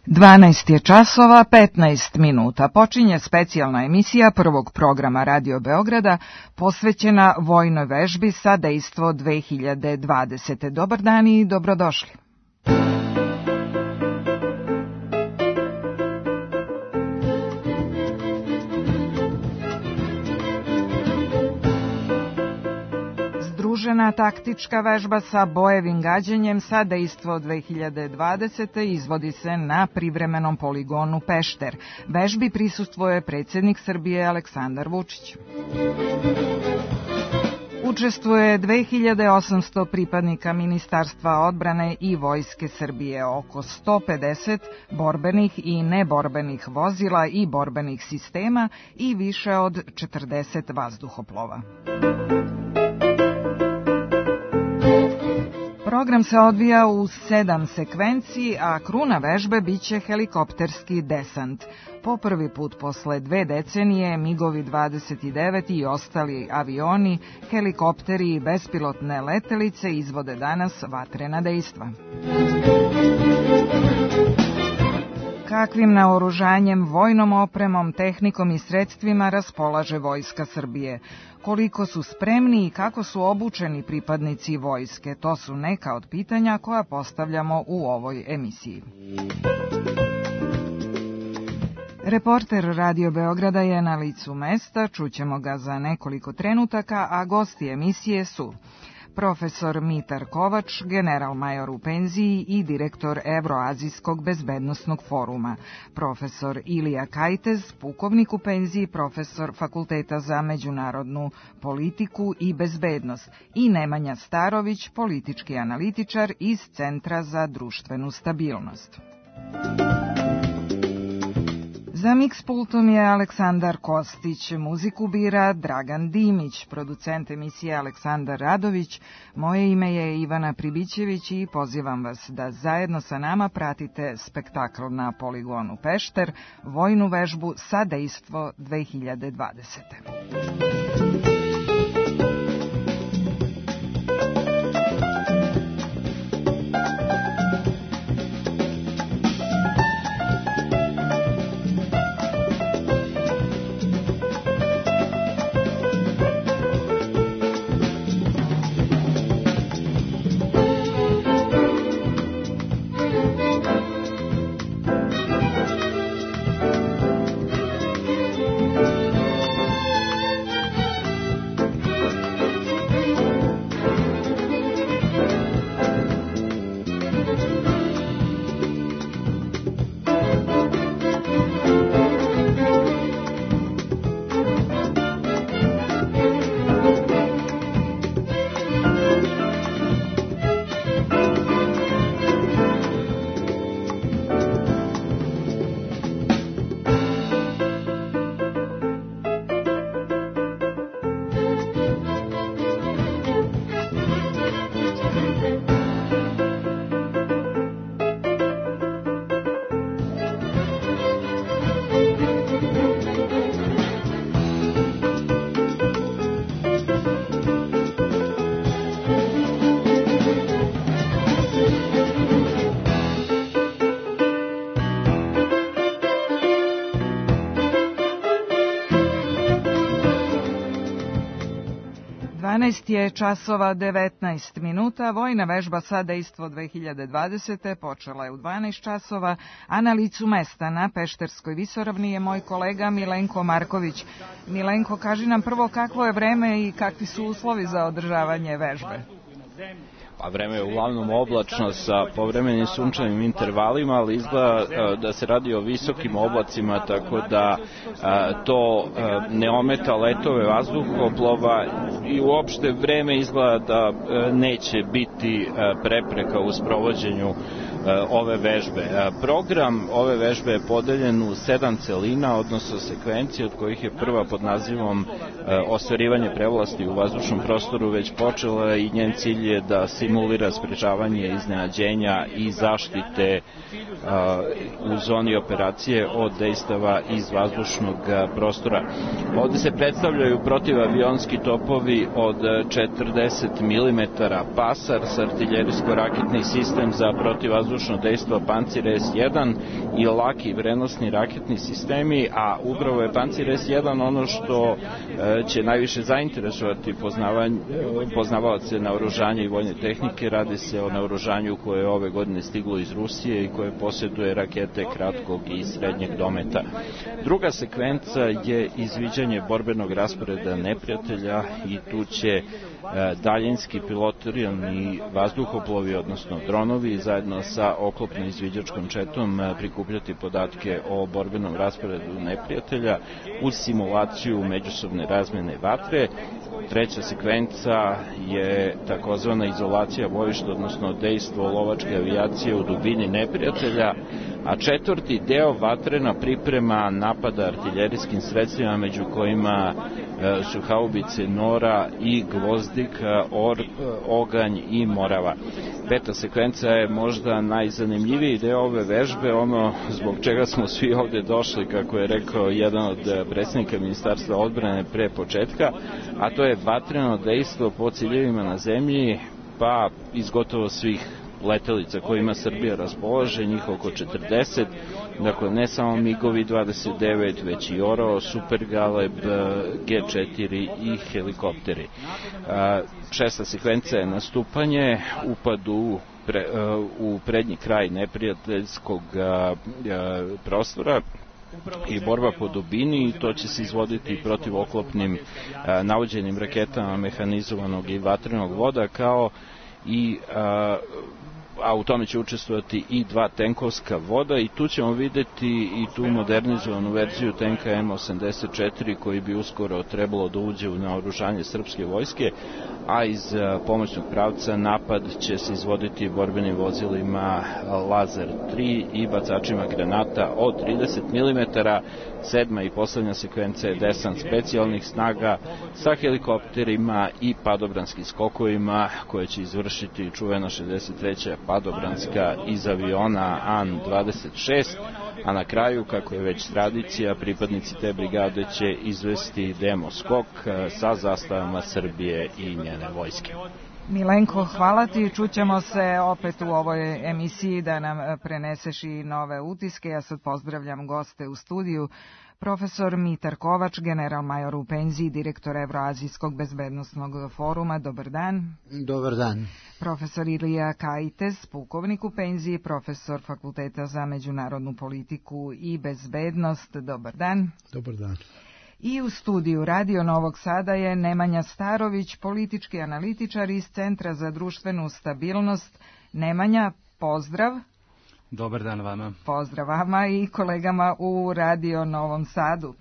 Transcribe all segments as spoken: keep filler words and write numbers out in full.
dvanaest je časova petnaest minuta. Počinje specijalna emisija prvog programa Radio Beograda posvećena vojnoj vežbi sa dejstvo dve hiljade dvadesete. Dobar dan i dobrodošli. Združena taktička vežba sa bojevim gađanjem sa dejstvo dve hiljade dvadesete. izvodi se na privremenom poligonu Pešter. Vežbi prisustvuje predsjednik Srbije Aleksandar Vučić. Učestvuje dve hiljade osamsto pripadnika Ministarstva odbrane i Vojske Srbije, oko sto pedeset borbenih i neborbenih vozila i borbenih sistema i više od četrdeset vazduhoplova. Program se odvija u sedam sekvenciji, a kruna vežbe biće helikopterski desant. Po prvi put posle dve decenije migovi dvadeset devet i ostali avioni, helikopteri i bespilotne letelice izvode danas vatrena dejstva. Kakvim naoružanjem, vojnom opremom, tehnikom i sredstvima raspolaže Vojska Srbije? Koliko su spremni i kako su obučeni pripadnici vojske? To su neka od pitanja koja postavljamo u ovoj emisiji. Reporter Radio Beograda je na licu mesta, čućemo ga za nekoliko trenutaka, a gosti emisije su profesor Mitar Kovač, general major u penziji i direktor Evroazijskog bezbednosnog foruma, profesor Ilija Kajtez, pukovnik u penziji, profesor Fakulteta za međunarodnu politiku i bezbednost, i Nemanja Starović, politički analitičar iz Centra za društvenu stabilnost. Za mix pultom je Aleksandar Kostić, muziku bira Dragan Dimić, producent emisije Aleksandar Radović, moje ime je Ivana Pribićević i pozivam vas da zajedno sa nama pratite spektakl na poligonu Pešter, vojnu vežbu sa dejstvo dve hiljade dvadesete. dvanaest je časova devetnaest minuta. Vojna vežba sa dejstvo dve hiljade dvadesete. počela je u dvanaest časova, a na licu mesta na Pešterskoj visoravni je moj kolega Milenko Marković. Milenko, kaži nam prvo kakvo je vreme i kakvi su uslovi za održavanje vežbe. A vreme je uglavnom oblačno sa povremenim sunčanim intervalima, ali izgleda da se radi o visokim oblacima, tako da to ne ometa letove vazduhoplova i uopšte vreme izgleda da neće biti prepreka u sprovođenju ove vežbe. Program ove vežbe je podeljen u sedam celina, odnosno sekvencije, od kojih je prva pod nazivom ostvarivanje prevlasti u vazdušnom prostoru već počela i njen cilj je da simulira sprečavanje iznenađenja i zaštite u zoni operacije od dejstava iz vazdušnog prostora. Ovde se predstavljaju protivavionski topovi od četrdeset milimetara Pasar sa artiljerijsko-raketni sistem za protivvazdušno dejstvo Pancir es jedan i laki vrenosni raketni sistemi, a upravo je Pancir es jedan ono što će najviše zainteresovati poznavaoce naoružanja i vojne tehnike. Radi se o naoružanju koje je ove godine stiglo iz Rusije i koje posjeduje rakete kratkog i srednjeg dometa. Druga sekvenca je izviđanje borbenog rasporeda neprijatelja i tu će daljinski pilotirani vazduhoplovi, odnosno dronovi, zajedno sa oklopno izviđačkom četom prikupljati podatke o borbenom rasporedu neprijatelja uz simulaciju međusobne razmene vatre. Treća sekvenca je takozvana izolacija bojišta, odnosno dejstvo lovačke avijacije u dubini neprijatelja, a četvrti deo vatrena priprema napada artiljerijskim sredstvima, među kojima su haubice Nora i Gvozdik, Or, Oganj i Morava. Peta sekvenca je možda najzanimljiviji deo ove vežbe, ono zbog čega smo svi ovde došli, kako je rekao jedan od predsjednika Ministarstva odbrane pre početka, a to je vatreno dejstvo po ciljevima na zemlji, pa iz gotovo svih letelica kojima Srbija raspolaže, njih oko četrdeset, dakle ne samo migovi dvadeset devet, već i Oro, Super Galeb, ge četiri i helikopteri. Šesta sekvenca je nastupanje, upad u, pre, u prednji kraj neprijateljskog prostora i borba po dubini, i to će se izvoditi protiv oklopnim navođenim raketama mehanizovanog i vatrenog voda, kao i a, a u tome će učestvovati i dva tenkovska voda, i tu ćemo videti i tu modernizovanu verziju tenka em osamdeset četiri koji bi uskoro trebalo da uđe u naoružanje srpske vojske, a iz pomoćnog pravca napad će se izvoditi borbenim vozilima Lazar tri i bacačima granata od trideset milimetara. Sedma i poslednja sekvenca je desant specijalnih snaga sa helikopterima i padobranskim skokovima koje će izvršiti čuvena šezdeset treća padobranska iz aviona An dvadeset šest, a na kraju, kako je već tradicija, pripadnici te brigade će izvesti demo skok sa zastavama Srbije i njene vojske. Milenko, hvala ti. Čućemo se opet u ovoj emisiji da nam preneseš i nove utiske. Ja sad pozdravljam goste u studiju. Profesor Mitar Kovač, general major u penziji, direktor Evroazijskog bezbednostnog foruma. Dobar dan. Dobar dan. Profesor Ilija Kajtes, pukovnik u penziji, profesor Fakulteta za međunarodnu politiku i bezbednost. Dobar dan. Dobar dan. I u studiju Radio Novog Sada je Nemanja Starović, politički analitičar iz Centra za društvenu stabilnost. Nemanja, pozdrav. Dobar dan vama. Pozdrav vama i kolegama u Radio Novom Sadu.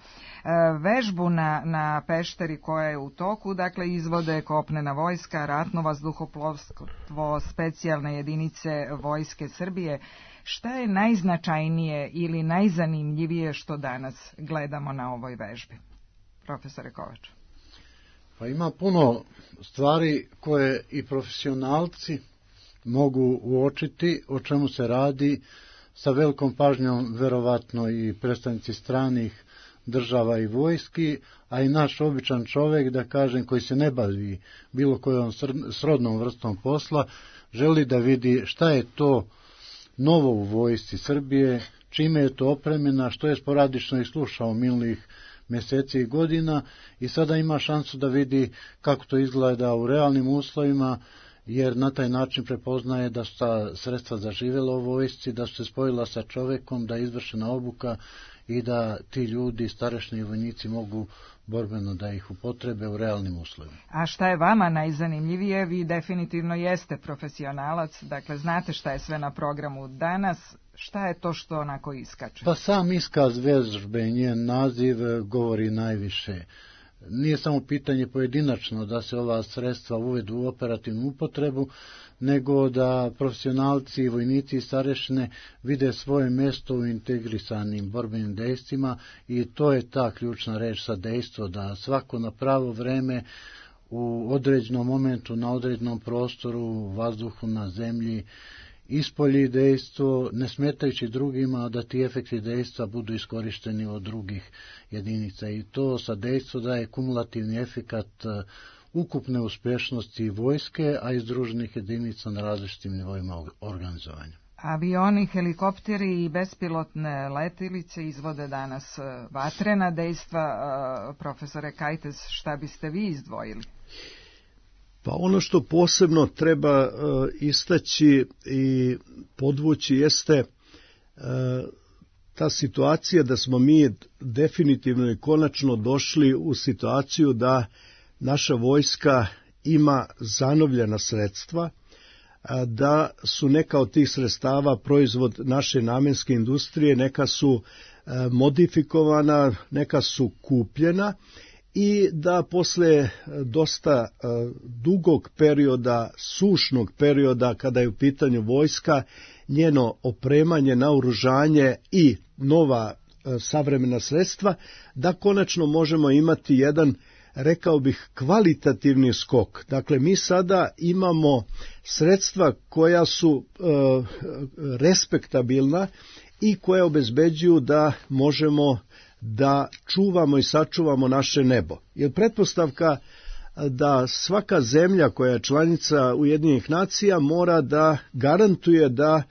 Vežbu na, na Pešteri koja je u toku, dakle izvode kopnena vojska, ratno vazduhoplovstvo, specijalne jedinice Vojske Srbije. Šta je najznačajnije ili najzanimljivije što danas gledamo na ovoj vežbi? Profesore Kovač. Pa ima puno stvari koje i profesionalci mogu uočiti o čemu se radi, sa velikom pažnjom verovatno i predstavnici stranih država i vojski, a i naš običan čovjek, da kažem, koji se ne bavi bilo kojom srodnom vrstom posla, želi da vidi šta je to novo u vojsci Srbije, čime je to opremljena, što je sporadično i slušao minulih mjeseci i godina, i sada ima šansu da vidi kako to izgleda u realnim uslovima, jer na taj način prepoznaje da su ta sredstva zaživjela u vojsci, da su se spojila sa čovjekom, da je izvršena obuka i da ti ljudi, starešni vojnici, mogu borbeno da ih upotrebe u realnim uslovima. A šta je vama najzanimljivije? Vi definitivno jeste profesionalac, dakle znate šta je sve na programu danas. Šta je to što onako iskače? Pa sam iskaz vežbe i njen naziv govori najviše. Nije samo pitanje pojedinačno da se ova sredstva uvedu u operativnu upotrebu, nego da profesionalci, vojnici i starešine vide svoje mjesto u integrisanim borbenim dejstvima, i to je ta ključna reč sa dejstvo, da svako na pravo vreme u određenom momentu, na određenom prostoru, vazduhu, na zemlji ispolji dejstvo, ne smetajući drugima, da ti efekti dejstva budu iskorišteni od drugih jedinica. I to sa dejstvo daje kumulativni efekat ukupne uspešnosti vojske, a i združenih jedinica na različitim nivoima organizovanja. Avioni, helikopteri i bespilotne letilice izvode danas vatrena dejstva. Profesore Kajtes, šta biste vi izdvojili? Pa ono što posebno treba uh, istaći i podvući jeste uh, ta situacija da smo mi definitivno i konačno došli u situaciju da naša vojska ima zanovljena sredstva, da su neka od tih sredstava proizvod naše namenske industrije, neka su modifikovana, neka su kupljena i da posle dosta dugog perioda, sušnog perioda kada je u pitanju vojska, njeno opremanje, naoružanje i nova savremena sredstva, da konačno možemo imati jedan, rekao bih, kvalitativni skok. Dakle, mi sada imamo sredstva koja su e, respektabilna i koja obezbeđuju da možemo da čuvamo i sačuvamo naše nebo. Jer pretpostavka da svaka zemlja koja je članica Ujedinjenih nacija mora da garantuje da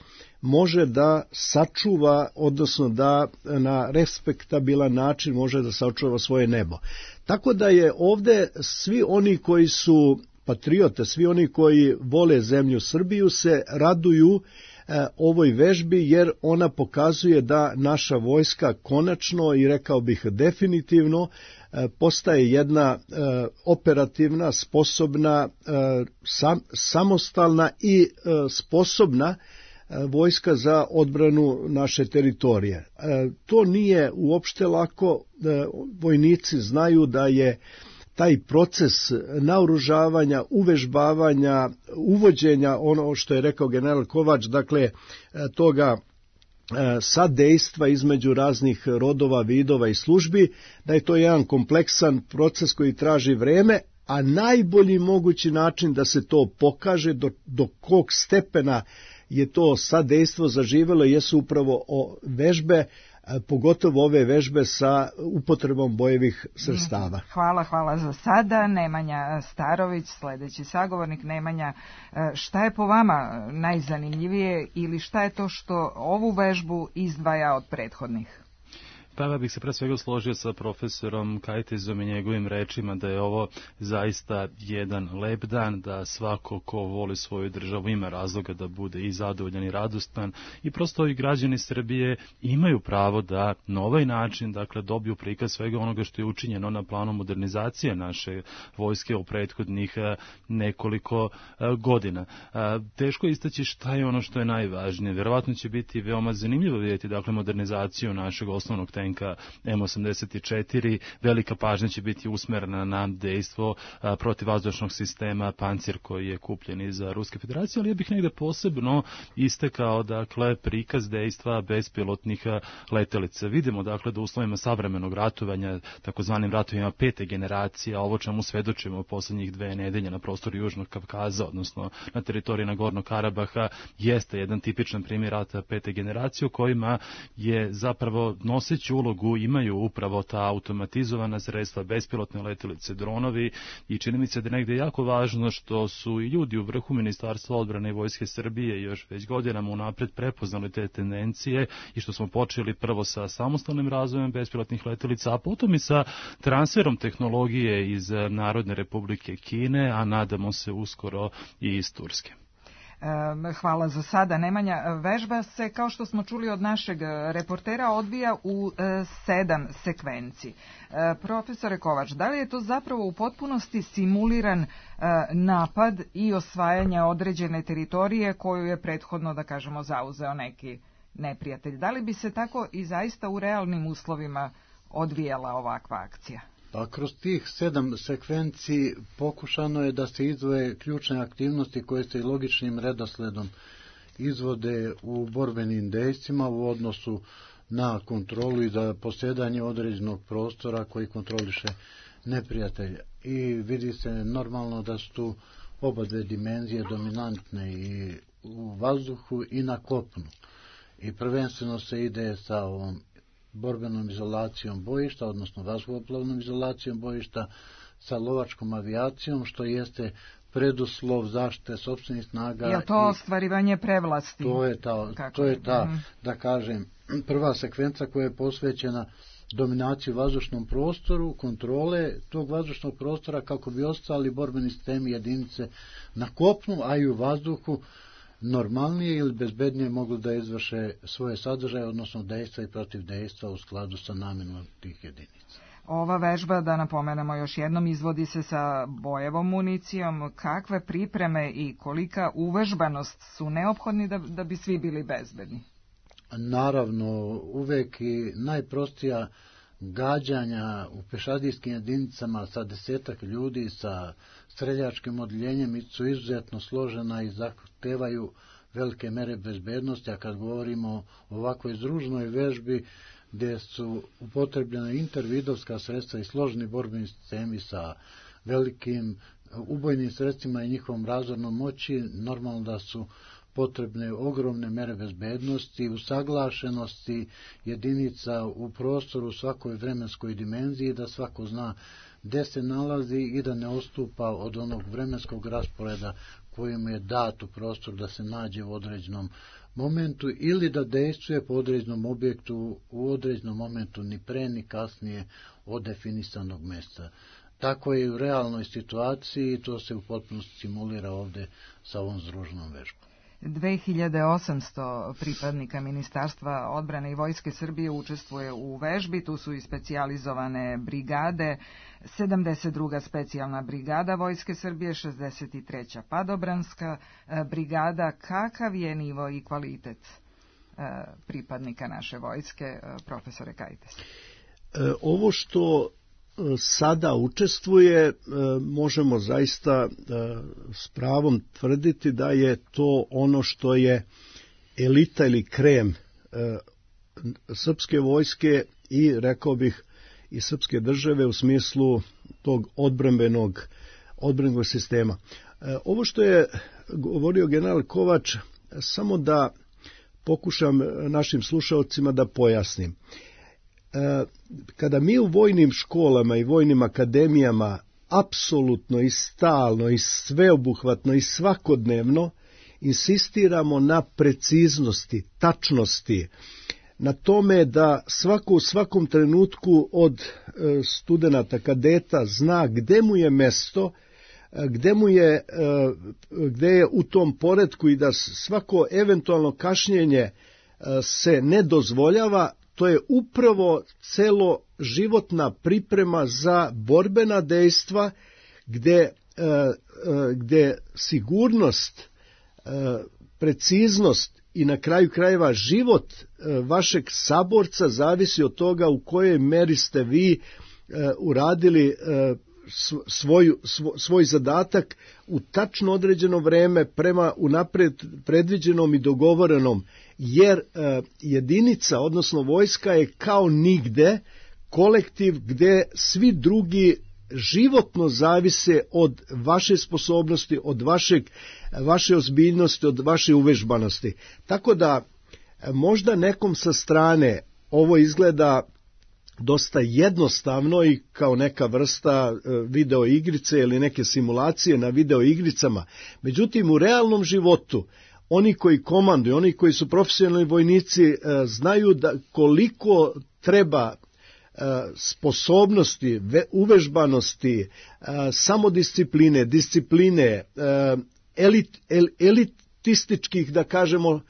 može da sačuva, odnosno da na respektabilan način može da sačuva svoje nebo. Tako da je ovde svi oni koji su patriote, svi oni koji vole zemlju Srbiju se raduju e, ovoj vežbi, jer ona pokazuje da naša vojska konačno i rekao bih definitivno e, postaje jedna e, operativna, sposobna, e, sam, samostalna i e, sposobna vojska za odbranu naše teritorije. To nije uopšte lako, vojnici znaju da je taj proces naoružavanja, uvežbavanja, uvođenja, ono što je rekao general Kovač, dakle toga sadejstva između raznih rodova, vidova i službi, da je to jedan kompleksan proces koji traži vreme, a najbolji mogući način da se to pokaže, do, do kog stepena je to sadejstvo zaživelo, jesu upravo o vežbe, pogotovo ove vežbe sa upotrebom bojevih sredstava. Hvala, hvala za sada. Nemanja Starović, sledeći sagovornik. Nemanja, šta je po vama najzanimljivije ili šta je to što ovu vežbu izdvaja od prethodnih? Pa ja bih se pre svega složio sa profesorom Kajtezom i njegovim rečima da je ovo zaista jedan lep dan, da svako ko voli svoju državu ima razloga da bude i zadovoljan i radostan i prosto i građani Srbije imaju pravo da na ovaj način, dakle, dobiju prikaz svega onoga što je učinjeno na planu modernizacije naše vojske u prethodnih nekoliko godina. Teško je istaći šta je ono što je najvažnije. Verovatno će biti veoma zanimljivo vidjeti, dakle, modernizaciju našeg osnovnog tenka M osamdeset četiri, velika pažnja će biti usmerena na dejstvo protivvazdušnog sistema Pancir koji je kupljen iz Ruske federacije, ali ja bih negde posebno istekao, dakle, prikaz dejstva bespilotnih letelica. Vidimo, dakle, da u uslovima savremenog ratovanja, takozvanim ratovima pete generacije, ovo čemu svedočimo u poslednjih dve nedelje na prostoru Južnog Kavkaza, odnosno na teritoriji Nagornog Karabaha, jeste jedan tipičan primjer rata pete generacije u kojima je zapravo noseći ulogu imaju upravo ta automatizovana sredstva, bespilotne letelice, dronovi i čini mi se da je negde jako važno što su i ljudi u vrhu Ministarstva odbrane i Vojske Srbije još već godinama unapred prepoznali te tendencije i što smo počeli prvo sa samostalnim razvojem bespilotnih letelica, a potom i sa transferom tehnologije iz Narodne Republike Kine, a nadamo se uskoro i iz Turske. Hvala za sada, Nemanja. Vežba se, kao što smo čuli od našeg reportera, odvija u sedam sekvenci. Profesore Kovač, da li je to zapravo u potpunosti simuliran napad i osvajanje određene teritorije koju je prethodno, da kažemo, zauzeo neki neprijatelj? Da li bi se tako i zaista u realnim uslovima odvijala ovakva akcija? Pa kroz tih sedam sekvenciji pokušano je da se izdvoje ključne aktivnosti koje se i logičnim redosledom izvode u borbenim dejstvima u odnosu na kontrolu i za posjedanje određenog prostora koji kontroliše neprijatelj. I vidi se normalno da su tu oba dve dimenzije dominantne i u vazduhu i na kopnu. I prvenstveno se ide sa ovom borbenom izolacijom bojišta, odnosno vazduhoplovnom izolacijom bojišta, sa lovačkom avijacijom, što jeste preduslov zaštite sopstvenih snaga. Je to ostvarivanje prevlasti? To je ta, to je ta mm. da kažem, prva sekvenca koja je posvećena dominaciji u vazdušnom prostoru, kontrole tog vazdušnog prostora kako bi ostali borbeni sistemi jedinice na kopnu, a i u vazduhu normalnije ili bezbednije mogli da izvrše svoje sadržaje, odnosno dejstva i protiv dejstva u skladu sa namenom tih jedinica. Ova vežba, da napomenemo još jednom, izvodi se sa bojevom municijom. Kakve pripreme i kolika uvežbanost su neophodni da, da bi svi bili bezbedni? Naravno, uvek i najprostija gađanja u pešadijskim jedinicama sa desetak ljudi, sa streljačkim odjeljenjem su izuzetno složena i zahtevaju velike mere bezbednosti, a kad govorimo o ovakvoj združnoj vežbi, gdje su upotrebljena intervidovska sredstva i složeni borbeni sistemi sa velikim ubojnim sredstvima i njihovom razornom moći, normalno da su potrebne ogromne mere bezbednosti, usaglašenosti jedinica u prostoru u svakoj vremenskoj dimenziji, da svako zna gde se nalazi i da ne odstupa od onog vremenskog rasporeda kojim je dat u prostoru da se nađe u određenom momentu ili da dejstvuje po određenom objektu u određenom momentu ni pre ni kasnije od definisanog mesta. Tako je i u realnoj situaciji i to se u potpunosti simulira ovde sa ovom združenom vežbom. dve hiljade osamsto pripadnika Ministarstva odbrane i Vojske Srbije učestvuje u vežbi, tu su i specijalizovane brigade, sedamdeset druga specijalna brigada Vojske Srbije, šezdeset treća padobranska brigada. Kakav je nivo i kvalitet pripadnika naše vojske, profesore Kajtes? Ovo što sada učestvuje, možemo zaista s pravom tvrditi da je to ono što je elita ili krem srpske vojske i, rekao bih, i srpske države u smislu tog odbrambenog, odbrambenog sistema. Ovo što je govorio general Kovač, samo da pokušam našim slušaocima da pojasnim. Kada mi u vojnim školama i vojnim akademijama apsolutno i stalno i sveobuhvatno i svakodnevno insistiramo na preciznosti, tačnosti, na tome da svako u svakom trenutku od studenata, kadeta zna gde mu je mesto, gde mu je, gde je u tom poretku i da svako eventualno kašnjenje se ne dozvoljava. To je upravo celo životna priprema za borbena dejstva gde, gde sigurnost, preciznost i na kraju krajeva život vašeg saborca zavisi od toga u kojoj meri ste vi uradili svoj, svoj zadatak u tačno određeno vreme prema unapred predviđenom i dogovorenom, jer jedinica, odnosno vojska je kao nigde kolektiv gde svi drugi životno zavise od vaše sposobnosti, od vašeg, vaše ozbiljnosti, od vaše uvežbanosti. Tako da možda nekom sa strane ovo izgleda dosta jednostavno i kao neka vrsta video igrice ili neke simulacije na video igricama. Međutim, u realnom životu oni koji komanduju, oni koji su profesionalni vojnici znaju da koliko treba sposobnosti, uvežbanosti, samodiscipline, discipline, elit, el, elitističkih, da kažemo,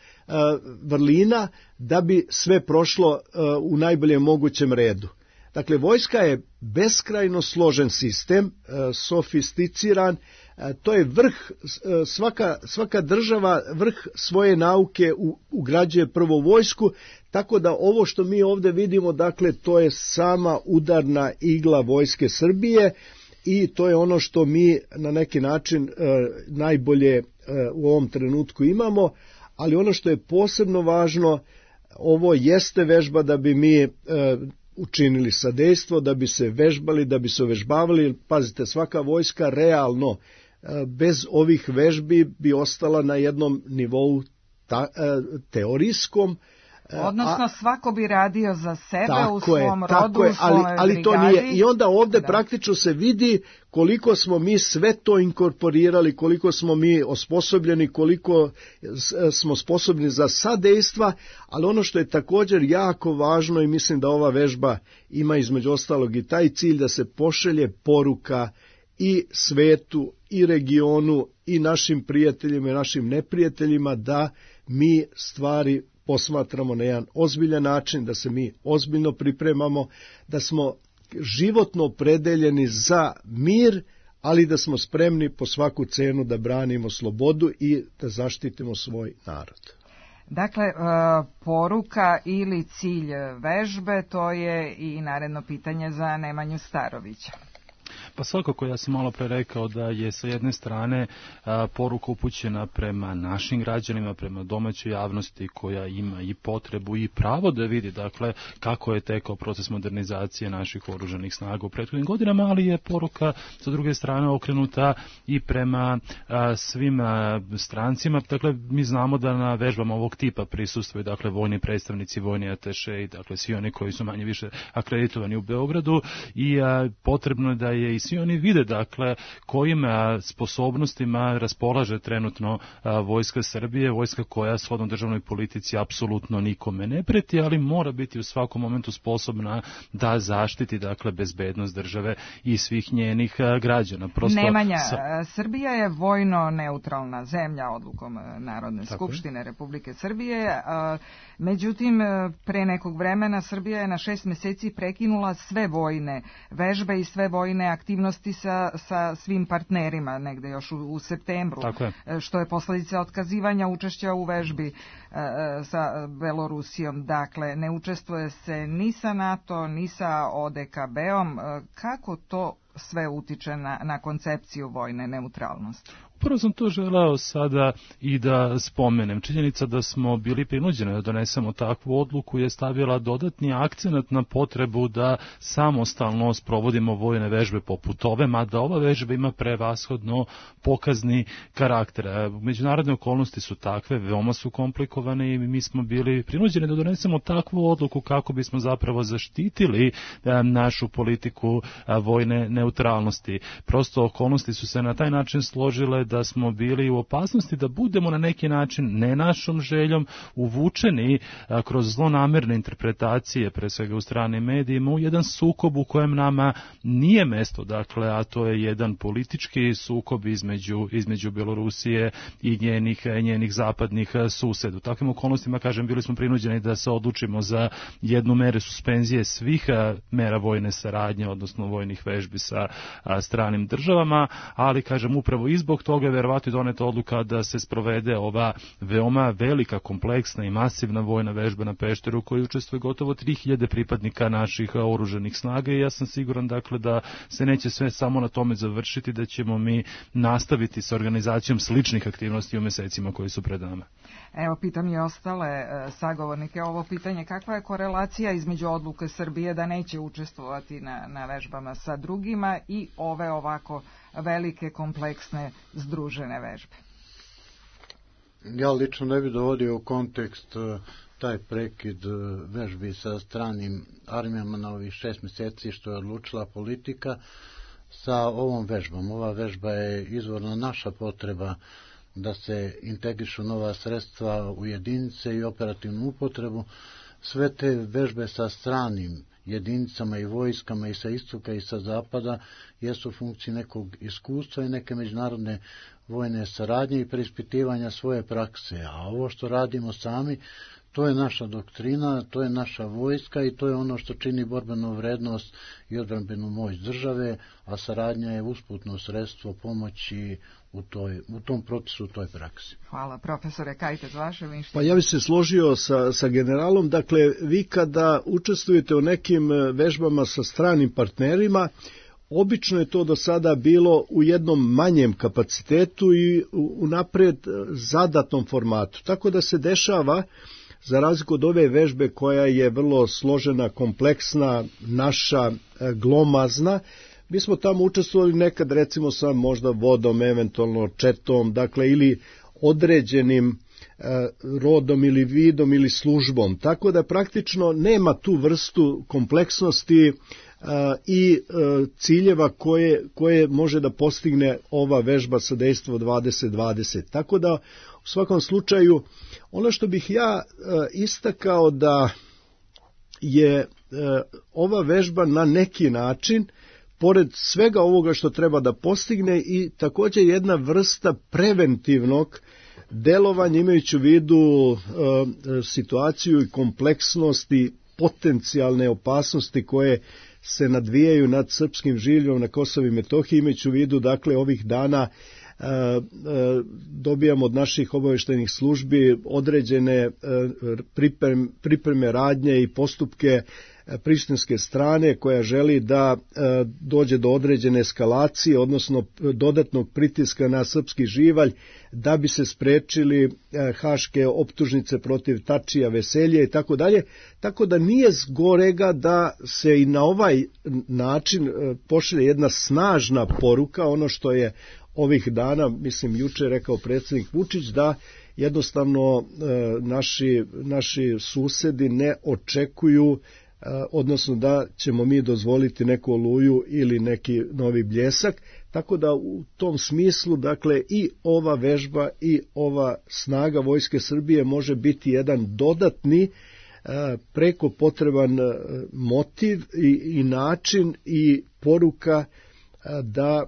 vrlina, da bi sve prošlo u najboljem mogućem redu. Dakle, vojska je beskrajno složen sistem, sofisticiran, to je vrh, svaka, svaka država vrh svoje nauke ugrađuje prvo vojsku, tako da ovo što mi ovdje vidimo, dakle, to je sama udarna igla Vojske Srbije i to je ono što mi na neki način najbolje u ovom trenutku imamo, ali ono što je posebno važno, ovo jeste vežba da bi mi učinili sadejstvo, da bi se vežbali, da bi se uvežbavali. Pazite, svaka vojska realno bez ovih vežbi bi ostala na jednom nivou ta, teorijskom. Odnosno svako bi radio za sebe tako u svom je, rodu, je, u svome ali, ali to brigadi. nije. I onda ovde da. praktično se vidi koliko smo mi sve to inkorporirali, koliko smo mi osposobljeni, koliko smo sposobni za sadejstva, ali ono što je također jako važno i mislim da ova vežba ima između ostalog i taj cilj da se pošalje poruka i svetu, i regionu, i našim prijateljima i našim neprijateljima da mi stvari posmatramo na jedan ozbiljan način, da se mi ozbiljno pripremamo, da smo životno opredeljeni za mir, ali da smo spremni po svaku cenu da branimo slobodu i da zaštitimo svoj narod. Dakle, poruka ili cilj vežbe, to je i naredno pitanje za Nemanju Starovića. Pa svakako, ja sam malo pre rekao da je sa jedne strane a, poruka upućena prema našim građanima, prema domaćoj javnosti koja ima i potrebu i pravo da vidi, dakle, kako je tekao proces modernizacije naših oružanih snaga u prethodnim godinama, ali je poruka sa druge strane okrenuta i prema a, svim a, strancima. Dakle, mi znamo da na vežbama ovog tipa prisustvuju, dakle, vojni predstavnici, vojni ataše i dakle, svi oni koji su manje više akreditovani u Beogradu i a, potrebno je da je i svi oni vide, dakle, kojim a, sposobnostima raspolaže trenutno a, vojska Srbije, vojska koja shodno državnoj politici apsolutno nikome ne preti, ali mora biti u svakom momentu sposobna da zaštiti, dakle, bezbednost države i svih njenih a, građana. Prosto, Nemanja, sa... Srbija je vojno neutralna zemlja odlukom Narodne Tako skupštine je. Republike Srbije, a, međutim, pre nekog vremena Srbija je na šest meseci prekinula sve vojne vežbe i sve vojne aktivnosti sa, sa svim partnerima, negde još u, u septembru, što je posledica otkazivanja učešća u vežbi e, sa Belorusijom. Dakle, ne učestvuje se ni sa NATO, ni sa O D K B-om. Kako to sve utiče na, na koncepciju vojne neutralnosti? Prvo sam to želeo sada i da spomenem. Činjenica da smo bili prinuđeni da donesemo takvu odluku je stavila dodatni akcenat na potrebu da samostalno sprovodimo vojne vežbe poput ove, mada ova vežba ima prevashodno pokazni karakter. Međunarodne okolnosti su takve, veoma su komplikovane i mi smo bili prinuđeni da donesemo takvu odluku kako bismo zapravo zaštitili našu politiku vojne neutralnosti. Prosto okolnosti su se na taj način složile da smo bili u opasnosti da budemo na neki način, ne našom željom, uvučeni a, kroz zlonamerne interpretacije, pre svega u stranim medijima, u jedan sukob u kojem nama nije mesto, dakle, a to je jedan politički sukob između, između Belorusije i njenih, njenih zapadnih suseda. U takvim okolnostima, kažem, bili smo prinuđeni da se odlučimo za jednu mere suspenzije svih a, mera vojne saradnje, odnosno vojnih vežbi sa a, stranim državama, ali, kažem, upravo i zbog toga je verovatno doneta odluka da se sprovede ova veoma velika, kompleksna i masivna vojna vežba na Pešteru u kojoj učestvuje gotovo tri hiljade pripadnika naših oružanih snaga i ja sam siguran, dakle, da se neće sve samo na tome završiti, da ćemo mi nastaviti sa organizacijom sličnih aktivnosti u mesecima koji su pred nama. Evo, pitam i ostale e, sagovornike ovo pitanje, kakva je korelacija između odluke Srbije da neće učestvovati na, na vežbama sa drugima i ove ovako velike, kompleksne, združene vežbe? Ja lično ne bih dovodio u kontekst taj prekid vežbi sa stranim armijama na ovih šest meseci što je odlučila politika sa ovom vežbom. Ova vežba je izvorno naša potreba da se integrišu nova sredstva u jedinice i operativnu upotrebu. Sve te vežbe sa stranim jedinicama i vojskama i sa istoka i sa zapada jesu u funkciji nekog iskustva i neke međunarodne vojne saradnje i preispitivanja svoje prakse. A ovo što radimo sami, to je naša doktrina, to je naša vojska i to je ono što čini borbenu vrednost i odbrambenu moć države, a saradnja je usputno sredstvo pomoći u, toj, u tom procesu, u toj praksi. Hvala. Profesore Kajtez, vaše mišljenje? Pa ja bih se složio sa, sa generalom. Dakle, vi kada učestvujete u nekim vežbama sa stranim partnerima, obično je to do sada bilo u jednom manjem kapacitetu i u, u napred zadatom formatu. Tako da se dešava, za razliku od ove vežbe koja je vrlo složena, kompleksna, naša, glomazna, Mi smo tamo učestvovali nekad recimo sa možda vodom, eventualno četom, dakle ili određenim rodom ili vidom ili službom, tako da praktično nema tu vrstu kompleksnosti i ciljeva koje, koje može da postigne ova vežba sa dejstvo dvadeset dvadeset. Tako da u svakom slučaju ono što bih ja istakao da je ova vežba na neki način, pored svega ovoga što treba da postigne, i također jedna vrsta preventivnog delovanja, imajući u vidu e, situaciju i kompleksnost i potencijalne opasnosti koje se nadvijaju nad srpskim življem na Kosovu i Metohiji, imajući u vidu, dakle, ovih dana e, e, dobijamo od naših obavještajnih službi određene e, pripreme, pripreme radnje i postupke prištinske strane koja želi da e, dođe do određene eskalacije, odnosno dodatnog pritiska na srpski živalj, da bi se sprečili e, haške optužnice protiv Tačija, Veselje i tako dalje. Tako da nije zgorega da se i na ovaj način e, pošalje jedna snažna poruka, ono što je ovih dana, mislim juče rekao predsjednik Vučić, da jednostavno e, naši, naši susedi ne očekuju, odnosno da ćemo mi dozvoliti neku oluju ili neki novi bljesak, tako da u tom smislu, dakle, i ova vežba i ova snaga Vojske Srbije može biti jedan dodatni preko potreban motiv i, i način i poruka da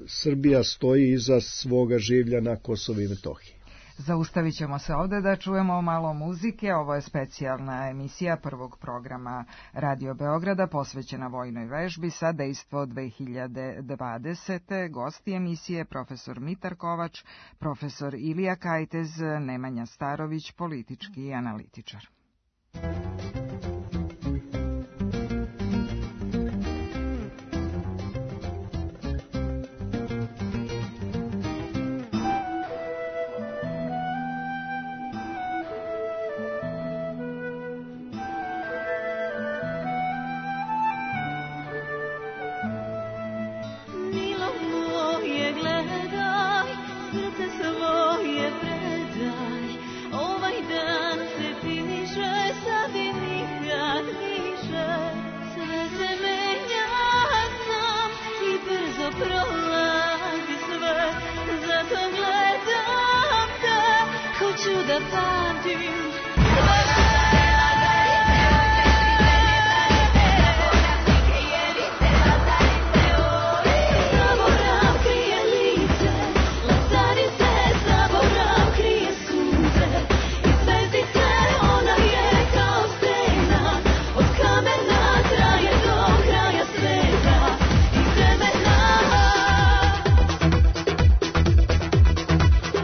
Srbija stoji iza svoga življa na Kosovu i Metohiji. Zaustavit ćemo se ovde da čujemo malo muzike. Ovo je specijalna emisija prvog programa Radio Beograda posvećena vojnoj vežbi sa dejstvo dve hiljade dvadesete. Gosti emisije profesor Mitar Kovač, profesor Ilija Kajtez, Nemanja Starović, politički analitičar.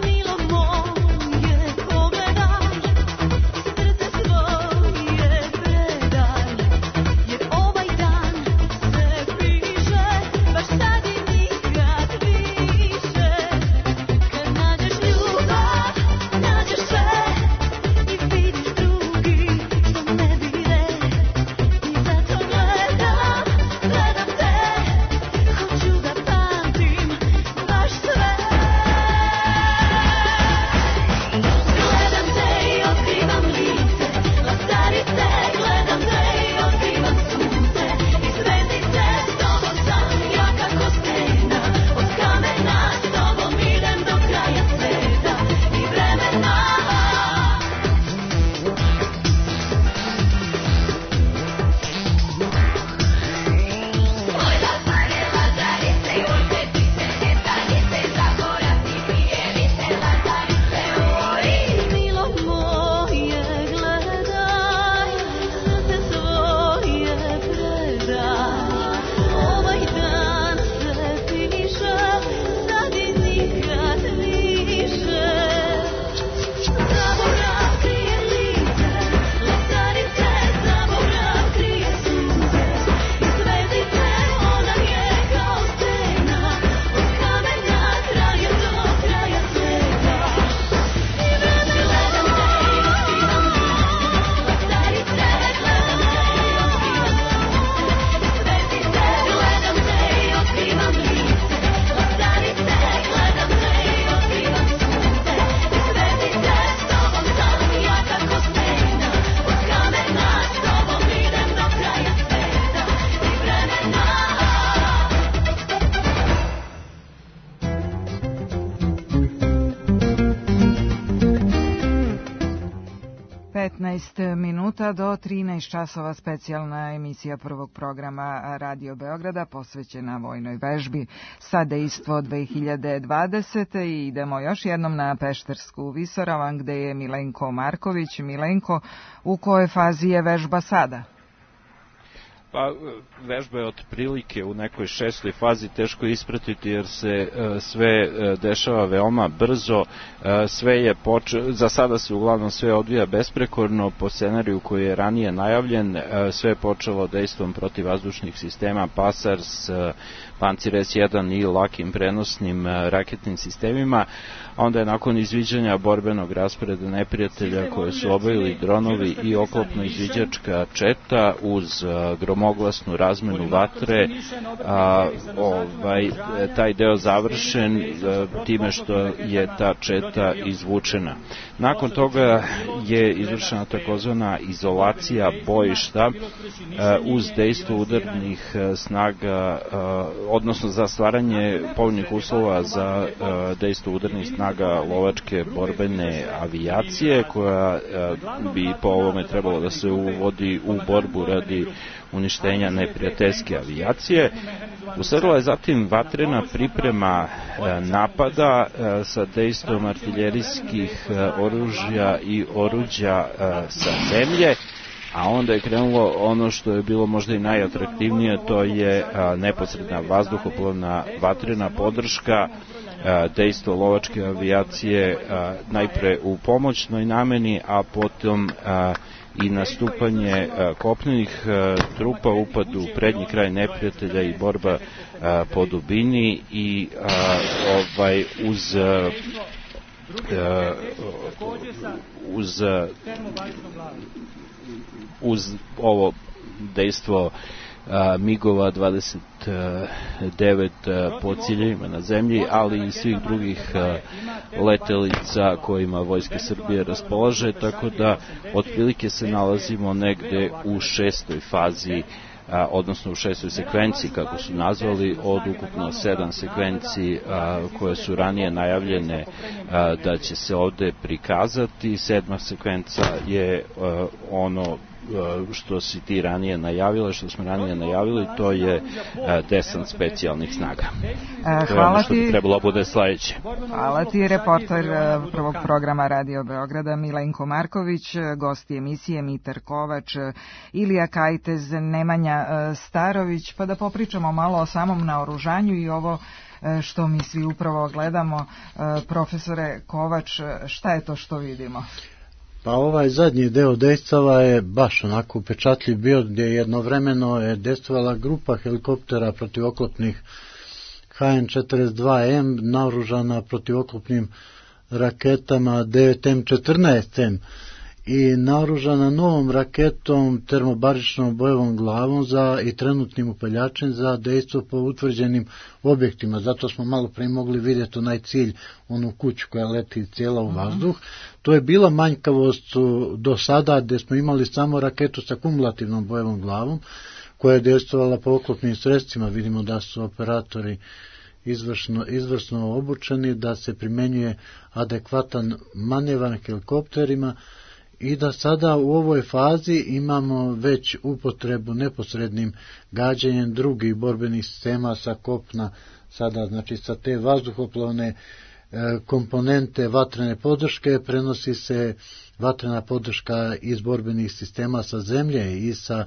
Milo moje, pogledaj jedanaest minuta do trinaest časova specijalna emisija prvog programa Radio Beograda posvećena vojnoj vežbi sa dejstvo dve hiljade dvadesete i idemo još jednom na Peštersku visoravan gde je Milenko Marković. Milenko, u kojoj fazi je vežba sada? Pa, vežba je otprilike u nekoj šestoj fazi, teško ispratiti jer se e, sve e, dešava veoma brzo, e, sve je poče... za sada se uglavnom sve odvija besprekorno po scenariju koji je ranije najavljen, e, sve je počelo dejstvom protivvazdušnih sistema Pasars, e, Pancir es jedan i lakim prenosnim e, raketnim sistemima, a onda je nakon izviđanja borbenog rasporeda neprijatelja koje su obavili dronovi i oklopno-izviđačka četa uz a, gromoglasnu razmenu vatre, a, ovaj, taj deo završen a, time što je ta četa izvučena. Nakon toga je izvršena takozvana izolacija bojišta a, uz dejstvo udarnih a, snaga, a, odnosno za stvaranje povoljnih uslova za a, dejstvo udarnih snaga snaga lovačke borbene avijacije koja bi po ovome trebalo da se uvodi u borbu radi uništenja neprijateljske avijacije. Usledila je zatim vatrena priprema napada sa dejstvom artiljerijskih oružja i oruđa sa zemlje, a onda je krenulo ono što je bilo možda i najatraktivnije, to je neposredna vazduhoplovna vatrena podrška, dejstvo lovačke avijacije najpre u pomoćnoj nameni, a potom i nastupanje kopnenih trupa, upad u prednji kraj neprijatelja i borba po dubini i ovaj uz uz uz ovo dejstvo migova dvadeset devet po ciljevima na zemlji, ali i svih drugih letelica kojima Vojska Srbije raspolaže, tako da otprilike se nalazimo negde u šestoj fazi, odnosno u šestoj sekvenciji, kako su nazvali, od ukupno sedam sekvenciji koje su ranije najavljene da će se ovde prikazati. Sedma sekvenca je ono što si ti ranije najavila, što smo ranije najavili, to je desant specijalnih snaga. Hvala to je ono što ti. bi trebalo bude sledeće. Hvala ti, reporter prvog programa Radio Beograda Milenko Marković, gosti emisije Mitar Kovač, Ilija Kajtez, Nemanja Starović, pa da popričamo malo o samom naoružanju i ovo što mi svi upravo gledamo. Profesore Kovač, šta je to što vidimo? Pa ovaj zadnji deo dejstava je baš onako upečatljiv bio, gdje jednovremeno je dejstvovala grupa helikoptera protivoklopnih ha en četrdeset dva em naoružana protivoklopnim raketama devet em četrnaest em i naoružana novom raketom termobaričnom bojevom glavom za i trenutnim upaljačem za dejstvo po utvrđenim objektima. Zato smo malo pre mogli vidjeti onaj cilj, onu kuću koja leti cijela u vazduh. To je bila manjkavost do sada, gdje smo imali samo raketu sa kumulativnom bojevom glavom koja je dejstvovala po oklopnim sredstvima. Vidimo da su operatori izvršno, izvrsno obučeni, da se primenjuje adekvatan manevar helikopterima i da sada u ovoj fazi imamo već upotrebu neposrednim gađanjem drugih borbenih sistema sa kopna, sada znači sa te vazduhoplovne e, komponente vatrene podrške prenosi se vatrena podrška iz borbenih sistema sa zemlje i sa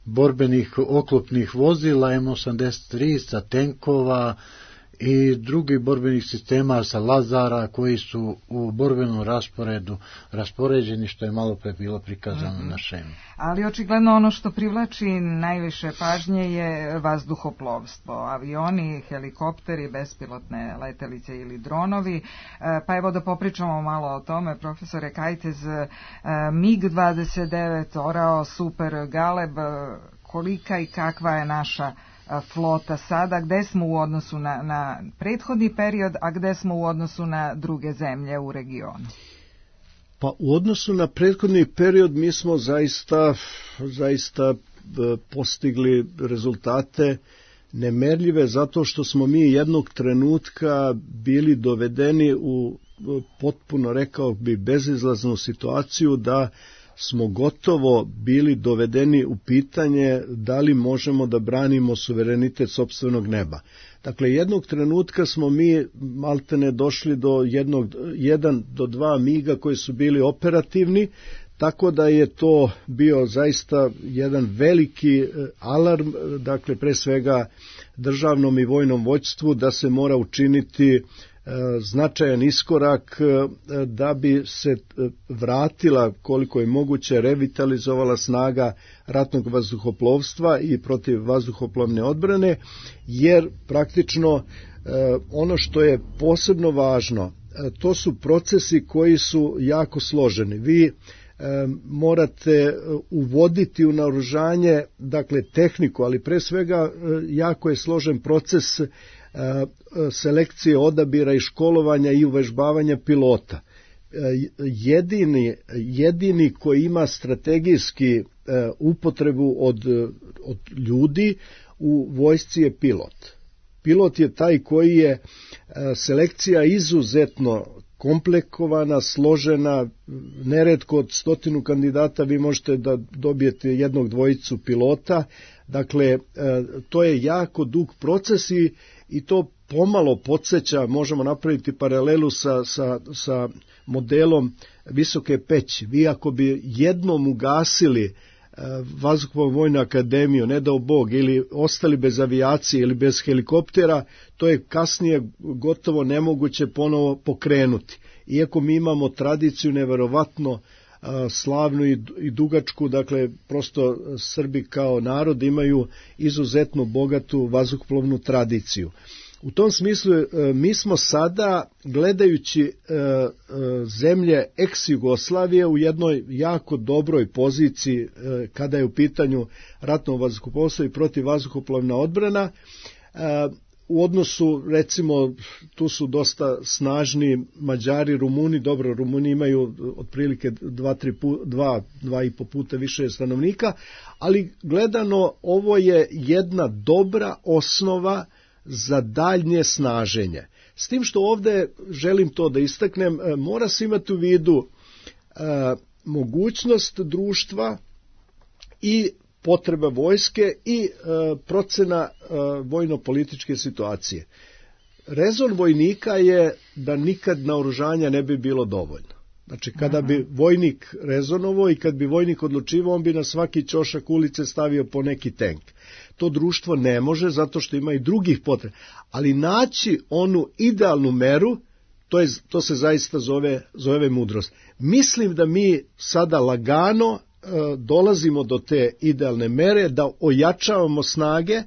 borbenih oklopnih vozila em osamdeset tri, sa tenkova i drugih borbenih sistema sa Lazara koji su u borbenom rasporedu raspoređeni, što je malo pre bilo prikazano mm-hmm. na šemu. Ali očigledno ono što privlači najviše pažnje je vazduhoplovstvo, avioni, helikopteri, bespilotne letelice ili dronovi. Pa evo da popričamo malo o tome, profesore Kajtez, mig dvadeset devet, Orao, Super, Galeb, kolika i kakva je naša flota sada, gde smo u odnosu na, na prethodni period, a gde smo u odnosu na druge zemlje u regionu? Pa u odnosu na prethodni period mi smo zaista, zaista postigli rezultate nemerljive, zato što smo mi jednog trenutka bili dovedeni u potpuno, rekao bi, bezizlaznu situaciju da smo gotovo bili dovedeni u pitanje da li možemo da branimo suverenitet sopstvenog neba. Dakle, jednog trenutka smo mi maltene došli do jednog, jedan do dva miga koji su bili operativni, tako da je to bio zaista jedan veliki alarm, dakle pre svega državnom i vojnom vođstvu, da se mora učiniti značajan iskorak da bi se vratila koliko je moguće revitalizovala snaga ratnog vazduhoplovstva i protiv vazduhoplovne odbrane, jer praktično ono što je posebno važno, to su procesi koji su jako složeni. Vi morate uvoditi u naoružanje, dakle tehniku, ali pre svega jako je složen proces selekcije, odabira i školovanja i uvežbavanja pilota. Jedini, jedini koji ima strategijski upotrebu od, od ljudi u vojsci je pilot. Pilot je taj koji je selekcija izuzetno komplikovana, složena, neretko od stotinu kandidata vi možete da dobijete jednog dvojicu pilota, dakle to je jako dug proces i, i to pomalo podsjeća, možemo napraviti paralelu sa, sa, sa modelom Visoke Peći. Vi ako bi jednom ugasili Vazduhoplovnu vojnu akademiju, ne dao Bog, ili ostali bez avijacije ili bez helikoptera, to je kasnije gotovo nemoguće ponovo pokrenuti. Iako mi imamo tradiciju neverovatno slavnu i dugačku, dakle prosto Srbi kao narod imaju izuzetno bogatu vazduhoplovnu tradiciju. U tom smislu mi smo sada, gledajući zemlje ex-Jugoslavije, u jednoj jako dobroj poziciji kada je u pitanju ratno vazduhoplovstvo i protivvazduhoplovna odbrana. U odnosu, recimo, tu su dosta snažni Mađari, Rumuni, dobro, Rumuni imaju otprilike dva, tri, dva, dva i po puta više stanovnika, ali gledano ovo je jedna dobra osnova za daljnje snaženje. S tim što ovde želim to da istaknem, mora se imati u vidu e, mogućnost društva i potreba vojske i e, procena e, vojno-političke situacije. Rezon vojnika je da nikad naoružanja ne bi bilo dovoljno. Znači, kada bi vojnik rezonovao i kad bi vojnik odlučivao, on bi na svaki ćošak ulice stavio po neki tank. To društvo ne može, zato što ima i drugih potreba. Ali naći onu idealnu meru, to, je, to se zaista zove, zove mudrost. Mislim da mi sada lagano e, dolazimo do te idealne mere, da ojačavamo snage, e,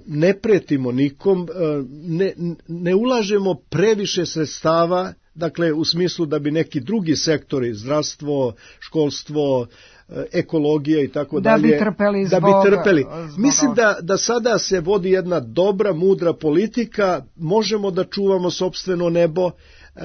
ne pretimo nikom, e, ne, ne ulažemo previše sredstava, dakle u smislu da bi neki drugi sektori, zdravstvo, školstvo, ekologija i tako da dalje, bi trpeli da zbog, bi trpeli. Zbog... Mislim da, da sada se vodi jedna dobra, mudra politika, možemo da čuvamo sopstveno nebo,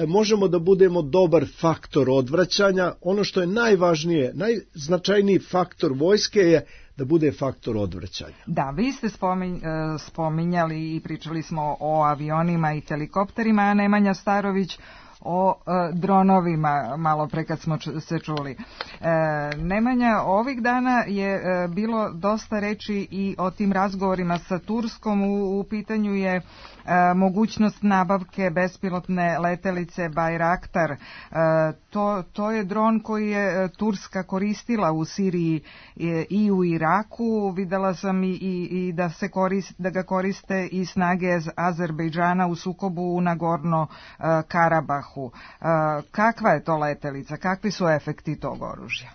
možemo da budemo dobar faktor odvraćanja. Ono što je najvažnije, najznačajniji faktor vojske je da bude faktor odvraćanja. Da, vi ste spominj, spominjali i pričali smo o avionima i helikopterima, a Nemanja Starović o e, dronovima, malo pre kad smo č- se čuli. E, Nemanja, ovih dana je e, bilo dosta reči i o tim razgovorima sa Turskom, u, u pitanju je e, mogućnost nabavke bespilotne letelice Bayraktar. E, to, to je dron koji je Turska koristila u Siriji e, i u Iraku. Videla sam i, i, i da, se korist, da ga koriste i snage Azerbejdžana u sukobu u Nagorno e, Karabahu. Kakva je to letelica? Kakvi su efekti tog oružja?